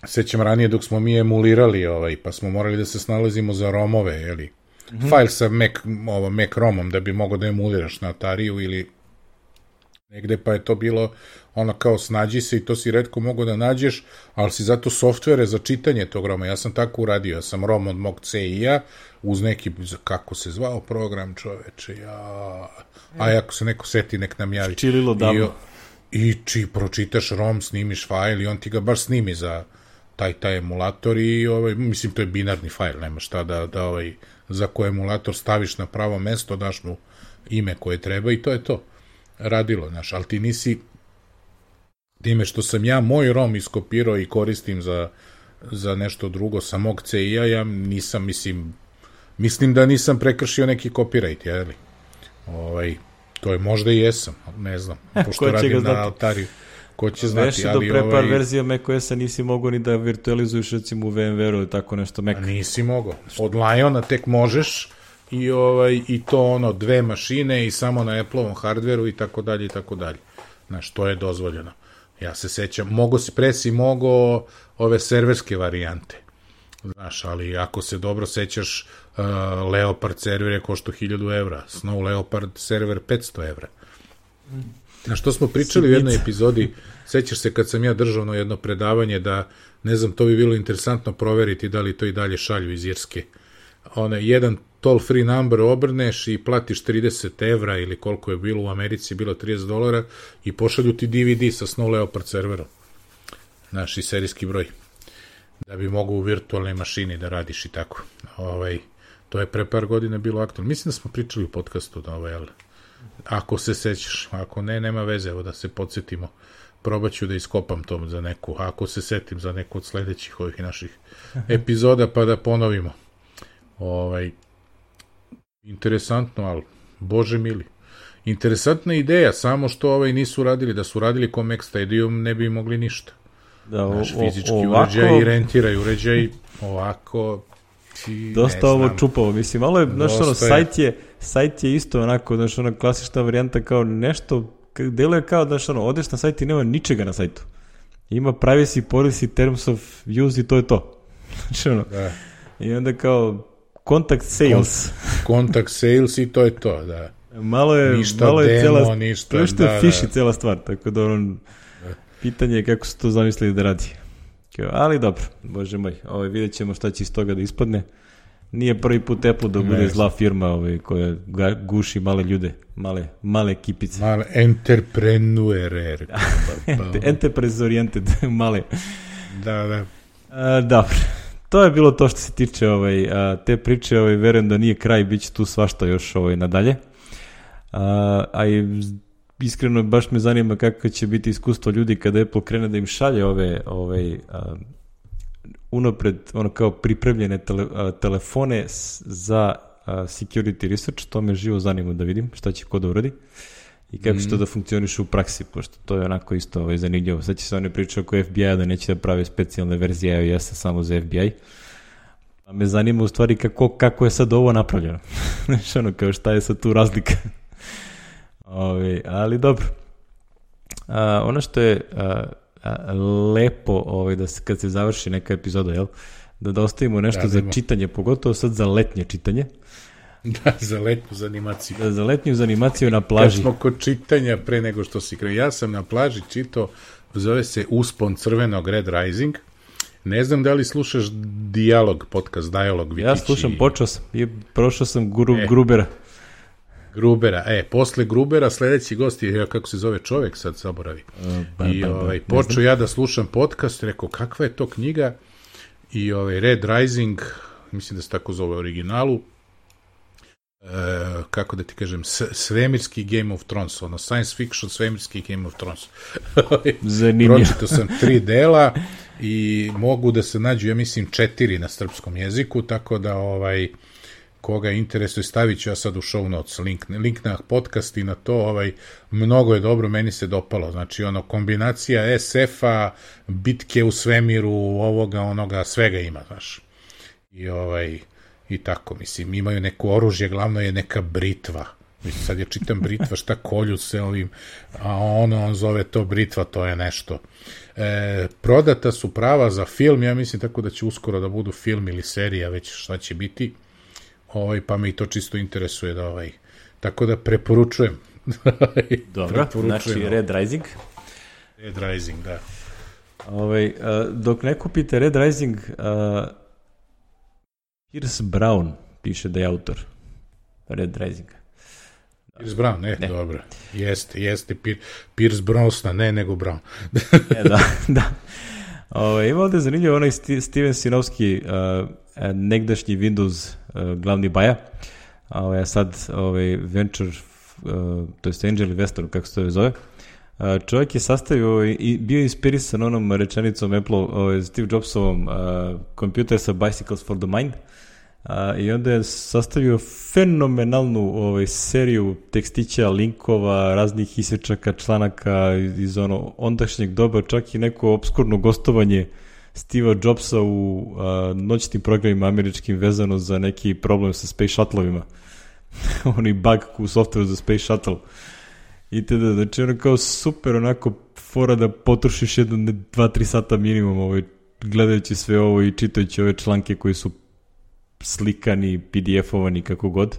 sećam ranije dok smo mi emulirali, ovaj, pa smo morali da se snalazimo za romove, jeli, mm-hmm. file sa Mac, ovo, Mac romom da bi mogao da emuliraš na Atariju ili negde, pa je to bilo ono kao snađi se i to si retko mogao da nađeš, ali si zato softvere za čitanje tog roma. Ja sam tako uradio, ja sam rom od mog C I-a uz neki, kako se zvao program, čoveče, ja... A ako se neko seti, nek nam javi. Čililo davno. I, i či pročitaš rom, snimiš fajl i on ti ga baš snimi za taj, taj emulator i, ovaj, mislim, to je binarni fajl, nema šta da, da ovaj, za koji emulator staviš na pravo mesto, daš mu ime koje treba i to je to. Radilo, znaš, ali ti nisi time što sam ja moj rom iskopirao i koristim za, za nešto drugo sa mog C I-a, ja nisam, mislim, mislim da nisam prekršio neki copyright, jeli? Ovaj, to je možda i jesam, ne znam, pošto radim na Atariju. Ko će znati, Veši ali... do pre par ovaj, verzija macOS-a nisi mogao ni da virtualizuješ recimo u VMware-u ili tako nešto Mac. Nisi mogao. Od Liona tek možeš i, ovaj, i to ono, dve mašine i samo na Apple-ovom hardveru i tako dalje i tako dalje. Znaš, to je dozvoljeno. Ja se sećam, mogo si presi, mogo ove serverske varijante. Znaš, ali ako se dobro sećaš, uh, Leopard server je košto hiljadu evra, Snow Leopard server petsto evra. Na što smo pričali u jednoj epizodi, sećaš se kad sam ja držao na jedno predavanje da, ne znam, to bi bilo interesantno proveriti da li to i dalje šalju iz Irske. One, jedan toll free number obrneš i platiš trideset evra ili koliko je bilo u Americi, bilo trideset dolara i pošalju ti D V D sa Snow Leopard serverom. Znaš, i serijski broj. Da bi mogao u virtualnoj mašini da radiš i tako. Ovaj, to je pre par godina bilo aktualno. Mislim da smo pričali u podcastu da ovaj, ali ako se sećaš, ako ne, nema veze, evo da se podsjetimo. Probat ću da iskopam to za neku, ako se setim za neku od sledećih ovih naših epizoda, pa da ponovimo. Ovaj, interesantno, ali bože mili. Interesantna ideja, samo što ovaj nisu radili, da su radili ko Mac Stadium, ne bi mogli ništa. Da, o, naš fizički ovako, uređaj i rentiraj uređaj, ovako ti, dosta ovo čupavo, mislim, malo je, znaš, ono, sajt je, sajt je isto onako, znaš, ona klasična varijanta kao nešto, deluje kao, znaš, ono, odeš na sajt i nema ničega na sajtu. Ima privacy, policy, terms of use i to je to. Znači, ono, da. I onda kao contact sales. Contact sales i to je to, da. Malo je, ništa malo je demo, cela, ništa, to što je da, fiši da. cela stvar, tako da ono, pitanje je kako su to zamislili da radi. Ali dobro, bože moj, ovaj, vidjet ćemo šta će iz toga da ispadne. Nije prvi put Apple da bude zla firma ovaj, koja guši male ljude, male, male kipice. Male entrepreneurer. Enterprise oriented, male. Da, da. A, dobro, to je bilo to što se tiče ovaj, a, te priče, ovaj, verujem da nije kraj, bit će tu svašta još ovaj, nadalje. A, a i iskreno baš me zanima kako će biti iskustvo ljudi kada Apple krene da im šalje ove ovaj, a, unapred ono kao pripremljene tele, a, telefone s, za a, security research, to me živo zanima da vidim šta će ko da uradi i kako mm-hmm. će to da funkcioniše u praksi, pošto to je onako isto ovaj, zanimljivo. Sad će se one priče oko F B I-a da neće da prave specijalne verzije iOS-a samo za F B I. A me zanima u stvari kako, kako je sad ovo napravljeno. Znači ono kao šta je sad tu razlika. Ove, ali dobro. A, ono što je a, a, lepo ovaj, da se, kad se završi neka epizoda, jel? Da, da ostavimo nešto da, za čitanje, pogotovo sad za letnje čitanje. Da, za letnju za animaciju. Da, za letnju za animaciju na plaži. Kad smo kod čitanja pre nego što si krenuo. Ja sam na plaži čitao, zove se Uspon crvenog Red Rising. Ne znam da li slušaš Dijalog, podcast Dijalog. Ja slušam, počeo sam i prošao sam gru, e. Grubera. Grubera, e, posle Grubera sledeći gost je, kako se zove čovek, sad zaboravi. Uh, ba, I ba, ovaj, počeo ja da slušam podcast, rekao, kakva je to knjiga? I ovaj, Red Rising, mislim da se tako zove u originalu, e, kako da ti kažem, s, svemirski Game of Thrones, ono, science fiction, svemirski Game of Thrones. Zanimljivo. Pročitao sam tri dela i mogu da se nađu, ja mislim, četiri na srpskom jeziku, tako da, ovaj, koga interesuje, stavit ću ja sad u show notes link, link na podcast i na to, ovaj, mnogo je dobro, meni se dopalo, znači ono, kombinacija es efa, bitke u svemiru, ovoga, onoga, svega ima, znaš. i ovaj, i tako, mislim, imaju neko oružje, glavno je neka britva. Mislim, sad ja čitam britva, šta kolju se ovim, a ono, on zove to britva, to je nešto. E, prodata su prava za film, ja mislim tako da će uskoro da budu film ili serija, već šta će biti, ovaj, pa me i to čisto interesuje da ovaj, tako da preporučujem. Dobro, znači Red Rising. Red Rising, da. Ovaj, uh, dok ne kupite Red Rising, uh, Pierce Brown piše da je autor Red Risinga. Pierce Brown, ne, ne. Dobro. Jeste, jeste. Pierce Brosnan, ne, nego Brown. e, da, da. Ove, ima ovde zanimljivo onaj Steven Sinovski, uh, negdašnji Windows uh, glavni baja, a sad ovaj, Venture, uh, to je Angel Investor, kako se to zove. Uh, čovjek je sastavio i bio inspirisan onom rečenicom Apple, ovaj, Steve Jobsovom, uh, Computers are bicycles for the mind. Uh, i onda je sastavio fenomenalnu ovaj, seriju tekstića, linkova, raznih isječaka, članaka iz, iz ono ondašnjeg doba, čak i neko obskurno gostovanje Steva Jobsa u uh, noćnim programima američkim vezano za neki problem sa Space Shuttle-ovima. Oni bug u softveru za Space Shuttle. I te da, znači ono kao super onako fora da potrošiš jedno, dva, tri sata minimum ovaj, gledajući sve ovo i čitajući ove članke koji su slikani, P D F-ovani, kako god.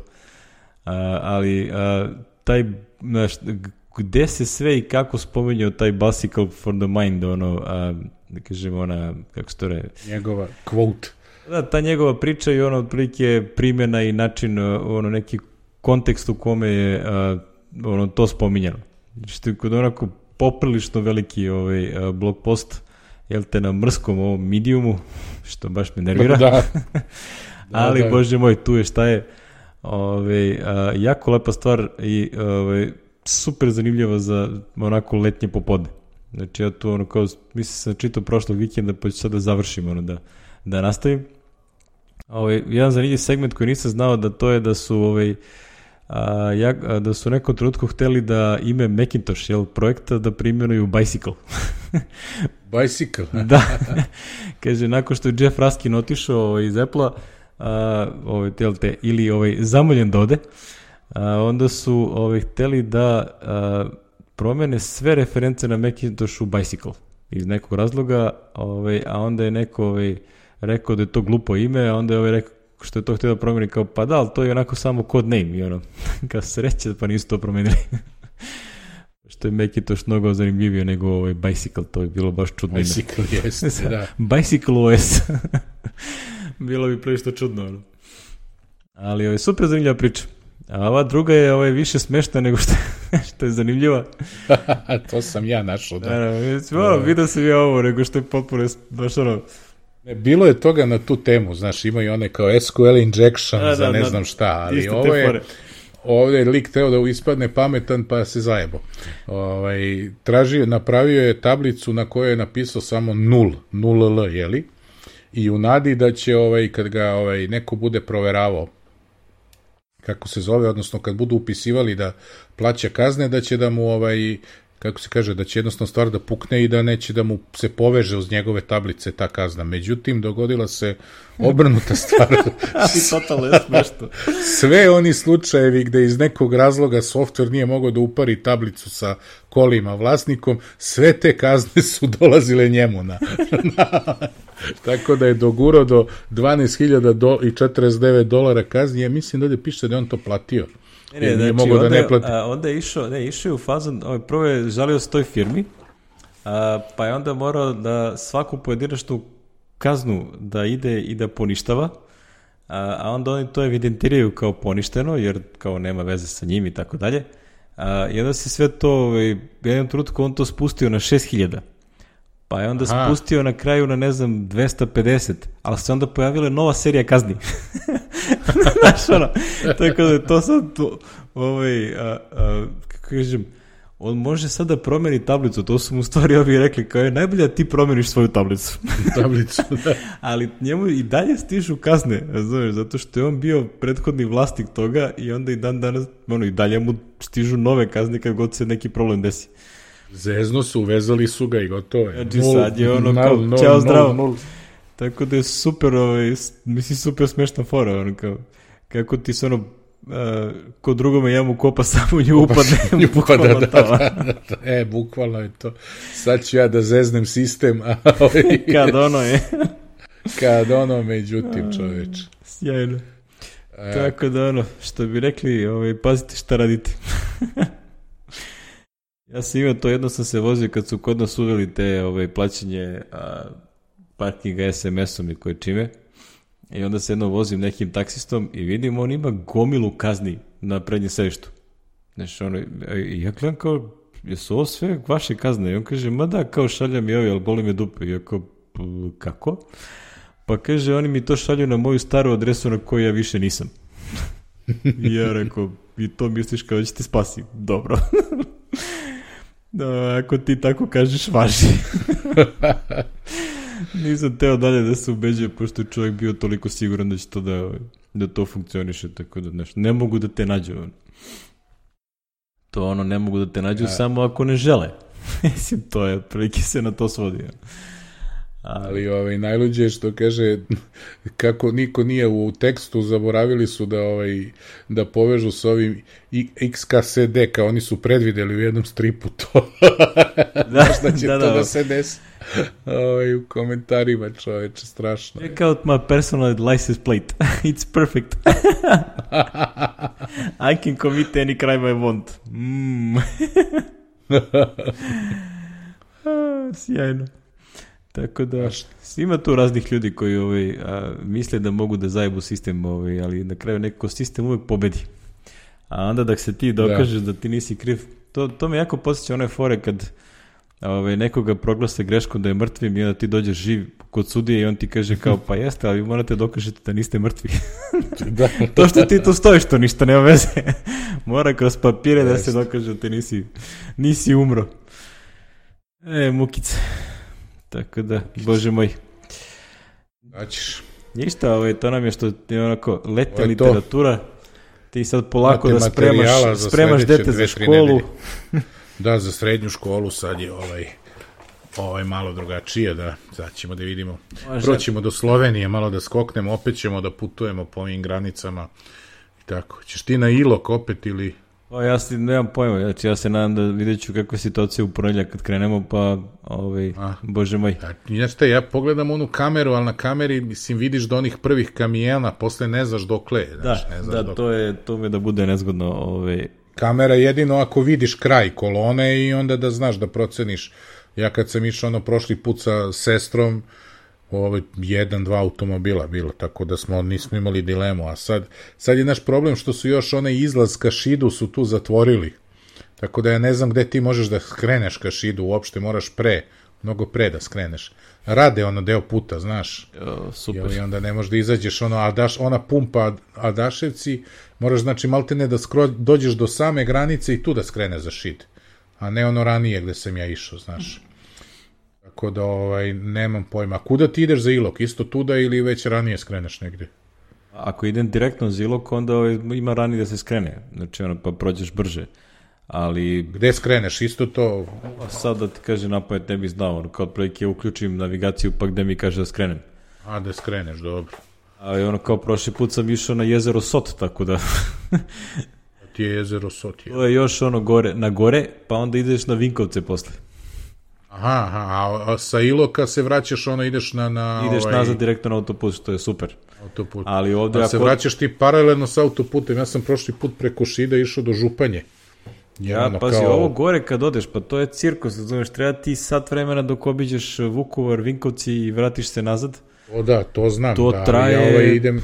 A, ali a, taj, znaš, gde se sve i kako spominjao taj bicycle for the mind, ono, a, da kažem, ona, kako se to re... Njegova quote. Da, ta njegova priča i ono, otprilike primjena i način, ono, neki kontekst u kome je a, ono, to spominjano. Što je kod onako poprilično veliki ovaj, a, blog post, jel te na mrskom ovom mediumu, što baš me nervira. Da. Da, ali, da. Bože moj, tu je šta je ove, a, jako lepa stvar i ove, super zanimljiva za onako letnje popodne. Znači, ja tu, ono, kao, mislim sam čitao prošlog vikenda, pa ću sad da završim, ono, da, da nastavim. Ove, jedan zanimljiv segment koji nisam znao, da to je da su, ove, a, ja, a, da su u nekom trenutku hteli da ime Macintosh, jel, projekta, da primjenuju Bicycle. Bicycle? Da. Kaže, nakon što je Jeff Raskin otišao iz Apple-a, Uh, ovaj, te, ili ovaj, zamoljen da ode, uh, onda su ovaj, hteli da uh, promene sve reference na Macintosh u Bicycle iz nekog razloga, ovaj, a onda je neko ovaj, rekao da je to glupo ime, a onda je ovaj, rekao što je to htio da promeni, kao pa da, ali to je onako samo code name i ono, kao sreće pa nisu to promenili. Što je Macintosh mnogo zanimljivio nego ovaj Bicycle, to je bilo baš čudno. Bicycle, jeste, da. Bicycle O S. Bilo bi prilično čudno, ono. Ali ovo je super zanimljiva priča. A ova druga je ovaj, više smešna nego što, što je zanimljiva. To sam ja našao, da. Da, ono, vidio sam ja ovo, nego što je potpuno, baš ono... Ne, bilo je toga na tu temu, znaš, imaju one kao S Q L injection da, za da, ne da, znam šta, ali ovo je... Ovdje je lik teo da ispadne pametan pa se zajebo. Ovaj, tražio, napravio je tablicu na kojoj je napisao samo nul, nul L, jeli? I u nadi da će, ovaj, kad ga ovaj, neko bude proveravao, kako se zove, odnosno kad budu upisivali da plaća kazne, da će da mu, ovaj, kako se kaže, da će jednostavno stvar da pukne i da neće da mu se poveže uz njegove tablice ta kazna. Međutim, dogodila se obrnuta stvar. Ali totalno je smešno. Sve oni slučajevi gde iz nekog razloga softver nije mogao da upari tablicu sa kolima vlasnikom, sve te kazne su dolazile njemu na... na tako da je dogurao do dvanaest hiljada četrdeset devet dolara kazni. Ja mislim da ovdje piše da je on to platio. Ne, ne, znači, mogo onda, da ne plati. A, onda je išao, ne, išao je u fazon, ovaj, prvo je žalio s toj firmi, a, pa je onda morao da svaku pojedinačnu kaznu da ide i da poništava, a, a onda oni to evidentiraju kao poništeno, jer kao nema veze sa njim i tako dalje. A, I onda se sve to, ovaj, jednom trenutku on to spustio na šest hiljada. Pa je onda Aha. spustio na kraju na, ne znam, dvesta pedeset, ali se onda pojavila nova serija kazni. Znaš, ono, tako da je to sad, to, ovaj, a, a, kako kažem, on može sad da promeni tablicu, to su mu stvari ovi rekli, kao je najbolje da ti promeniš svoju tablicu. Tablicu, da. Ali njemu i dalje stižu kazne, znaš, zato što je on bio prethodni vlasnik toga i onda i dan danas, ono, i dalje mu stižu nove kazne kad god se neki problem desi. Zezno su, uvezali su ga i gotovo je. Znači sad je ono kao, čao, zdravo. Tako da je super, ovaj, mislim, super smešna fora, ono, kao, kako ti se ono, uh, ko drugome jamu kopa, samo nju upadne, bukvalno da, da, to. da, da, da, e, bukvalno je to. Sad ću ja da zeznem sistem, a ovaj... Kad ono je. Kad ono, međutim, čoveč. Sjajno. E... Tako da ono, što bi rekli, ovaj, pazite šta radite. Ja sam imao to, jedno sam se vozio kad su kod nas uveli te ovaj, plaćanje a, parkinga es em esom i koje čime. I onda se jedno vozim nekim taksistom i vidim, on ima gomilu kazni na prednjem sedištu. Znači, ono, i ja gledam kao, jesu ovo sve vaše kazne? I on kaže, ma da, kao šalja mi ovi, ali boli me dupe. I ja kao, kako? Pa kaže, oni mi to šalju na moju staru adresu na kojoj ja više nisam. I ja rekao, i to misliš kao da će te spasi? Dobro. Da, ako ti tako kažeš, važi. Nisam teo dalje da se ubeđuje, pošto je čovjek bio toliko siguran da će to da, da to funkcioniše, tako da nešto. Ne mogu da te nađu. To ono, ne mogu da te nađu, ja. Samo ako ne žele. Mislim, to je, prilike se na to svodi. Ali, Ali ovaj, najluđe je što kaže, kako niko nije u tekstu, zaboravili su da ovaj da povežu s ovim X K S D, kao oni su predvideli u jednom stripu to. Da, možda će da, to da, da se desi. Ovaj, u komentarima, čoveče, strašno. Check out my personal license plate. It's perfect. I can commit any crime I want. Mm. Sjajno. Tako da, ima tu raznih ljudi koji ovaj, a, misle da mogu da zajebu sistem, ovaj, ali na kraju nekako sistem uvek pobedi. A onda da se ti dokažeš da, da ti nisi kriv, to, to me jako podsjeća one fore kad ovaj, nekoga proglase greškom da je mrtvim i onda ti dođeš živ kod sudije i on ti kaže kao, pa jeste, ali vi morate dokažete da niste mrtvi. Da. To što ti tu stojiš, to ništa nema veze. Mora kroz papire da se dokaže da ti nisi, nisi umro. E, mukice. Tako da, Bože moj. Daćeš. Ništa, ovaj, to nam je što je onako letna literatura. Ti sad polako da spremaš, spremaš dete za školu. Da, za srednju školu sad je ovaj, ovaj malo drugačije, da, sad ćemo da vidimo. Može. Proćemo do Slovenije, malo da skoknemo, opet ćemo da putujemo po ovim granicama. I tako. Ćeš ti na Ilok opet ili... Pa ja si, nemam pojma, znači ja se nadam da vidjet ću kakva je situacija u ponedjeljak kad krenemo, pa, ovaj, A, Bože moj. Znači te, ja pogledam onu kameru, ali na kameri, mislim, vidiš do onih prvih kamijena, posle ne znaš dokle je. Znači, da, ne znaš da, dokle. to je, to mi da bude nezgodno. Ovaj. Kamera jedino ako vidiš kraj kolone i onda da znaš da proceniš. Ja kad sam išao ono prošli put sa sestrom, ovo jedan, dva automobila bilo, tako da smo nismo imali dilemu, a sad, sad je naš problem što su još onaj izlaz ka Šidu su tu zatvorili, tako da ja ne znam gde ti možeš da skreneš ka Šidu, uopšte moraš pre, mnogo pre da skreneš. Rade ono deo puta, znaš, jo, super. I onda ne možeš da izađeš ono, a daš, ona pumpa Adaševci, moraš znači maltene da skro, dođeš do same granice i tu da skrene za Šid, a ne ono ranije gde sam ja išao, znaš. Tako da, ovaj, nemam pojma. Kuda ti ideš za Ilok? Isto tuda ili već ranije skreneš negdje? Ako idem direktno za Ilok, onda ovaj, ima ranije da se skrene. Znači, ono, pa prođeš brže. Ali... Gde skreneš? Isto to... Sad da ti kaže napamet ne bih znao. Ono, kao otprilike uključim navigaciju, pa gde mi kaže da skrenem. A, da skreneš, dobro. Ali ono, kao prošli put sam išao na jezero Sot, tako da... Ti je jezero Sot, je. To je još ono gore, na gore, pa onda ideš na Vinkovce posle. Aha, aha, a, a sa Iloka se vraćaš, ono, ideš na... na ideš ovaj... nazad direktno na autoput, što je super. Autoput. Ali ovde... A ako... se vraćaš ti paralelno sa autoputem, ja sam prošli put preko Šida išao do Županje. Ja, ono, pazi, kao... ovo gore kad odeš, pa to je cirkus, razumeš, treba ti sat vremena dok obiđeš Vukovar, Vinkovci i vratiš se nazad. O da, to znam. To da, traje... Ja, ovaj, idem...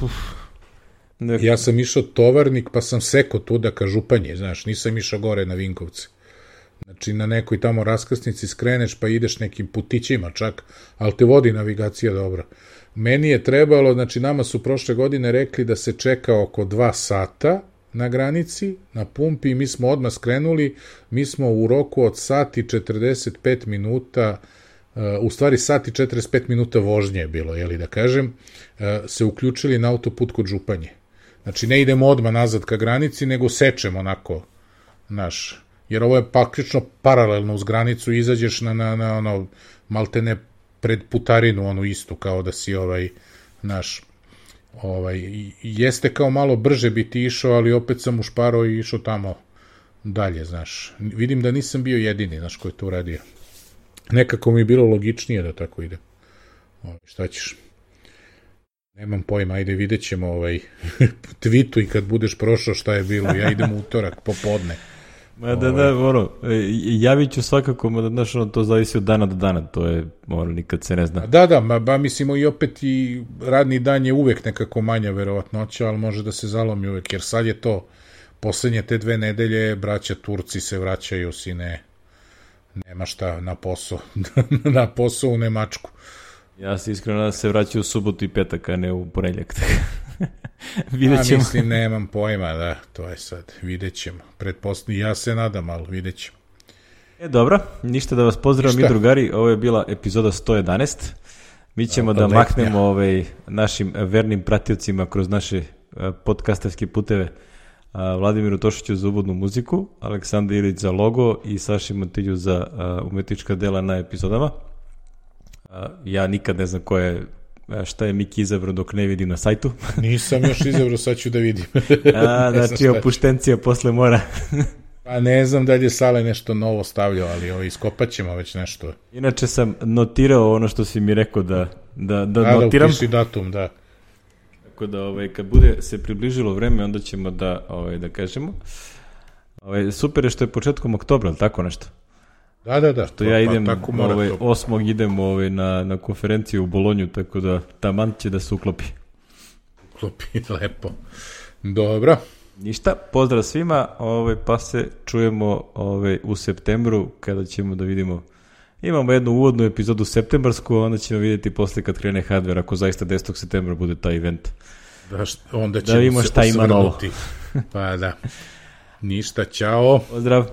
Nek... ja sam išao Tovarnik, pa sam seko tuda ka Županje, znaš, nisam išao gore na Vinkovci. Znači, na nekoj tamo raskrsnici skreneš, pa ideš nekim putićima čak, ali te vodi navigacija dobro. Meni je trebalo, znači, nama su prošle godine rekli da se čeka oko dva sata na granici, na pumpi, i mi smo odmah skrenuli, mi smo u roku od sati četrdeset pet minuta, uh, u stvari sati četrdeset pet minuta vožnje je bilo, jeli da kažem, uh, se uključili na autoput kod Županje. Znači, ne idemo odmah nazad ka granici, nego sečemo onako, naš... Jer ovo je praktično paralelno uz granicu, izađeš na, na, na ono, maltene pred putarinu, onu istu, kao da si ovaj, naš, ovaj, jeste kao malo brže bi ti išao, ali opet sam ušparao i išao tamo dalje, znaš. Vidim da nisam bio jedini, znaš, ko je to uradio. Nekako mi je bilo logičnije da tako ide. Ovaj, šta ćeš? Nemam pojma, ajde, vidjet ćemo ovaj, tweetu i kad budeš prošao šta je bilo. Ja idem u utorak, popodne. Ma da, da, ono, javit ću svakako, ma da, znaš, ono, to zavisi od dana do dana, to je, ono, nikad se ne zna. Da, da, ma, ba, mislimo i opet i radni dan je uvek nekako manja verovatnoća, ali može da se zalomi uvek, jer sad je to, poslednje te dve nedelje, braća Turci se vraćaju, sine, nema šta na posao, na posao u Nemačku. Ja se iskreno da se vraćaju u subotu i petak, a ne u ponedjeljak. Vidjet ćemo. A mislim, nemam pojma, da, to je sad, vidjet ćemo. Pretpostavljam, ja se nadam, ali vidjet ćemo. E, dobro, ništa da vas pozdravim mi drugari, ovo je bila epizoda sto jedanaest. Mi ćemo da, da maknemo ovaj, našim vernim pratiocima kroz naše podcastarske puteve Vladimiru Tošiću za uvodnu muziku, Aleksandar Ilić za logo i Saši Montilju za umetnička dela na epizodama. Ja nikad ne znam ko je, šta je Miki izabrao dok ne vidim na sajtu. Nisam još izabrao, sad ću da vidim. A, znači opuštencija posle mora. Pa ne znam da li je Sale nešto novo stavljao, ali ovo, iskopat ćemo već nešto. Inače sam notirao ono što si mi rekao da, da, da, da notiram. Da, upiši datum, da. Tako da ovaj, kad bude se približilo vreme, onda ćemo da, ovaj, da kažemo. Ovaj, super je što je početkom oktobra, ali tako nešto? Da, da, da. Što ja idem, pa, ovaj, osmog idem ovaj, na, na konferenciju u Bolonju, tako da taman će da se uklopi. Uklopi, lepo. Dobro. Ništa, pozdrav svima, ovaj, pa se čujemo ovaj, u septembru, kada ćemo da vidimo. Imamo jednu uvodnu epizodu septembarsku, onda ćemo vidjeti posle kad krene hardware, ako zaista desetog septembra bude taj event. Da, onda ćemo da vidimo se šta ima novo. Pa da. Ništa, čao. Pozdrav.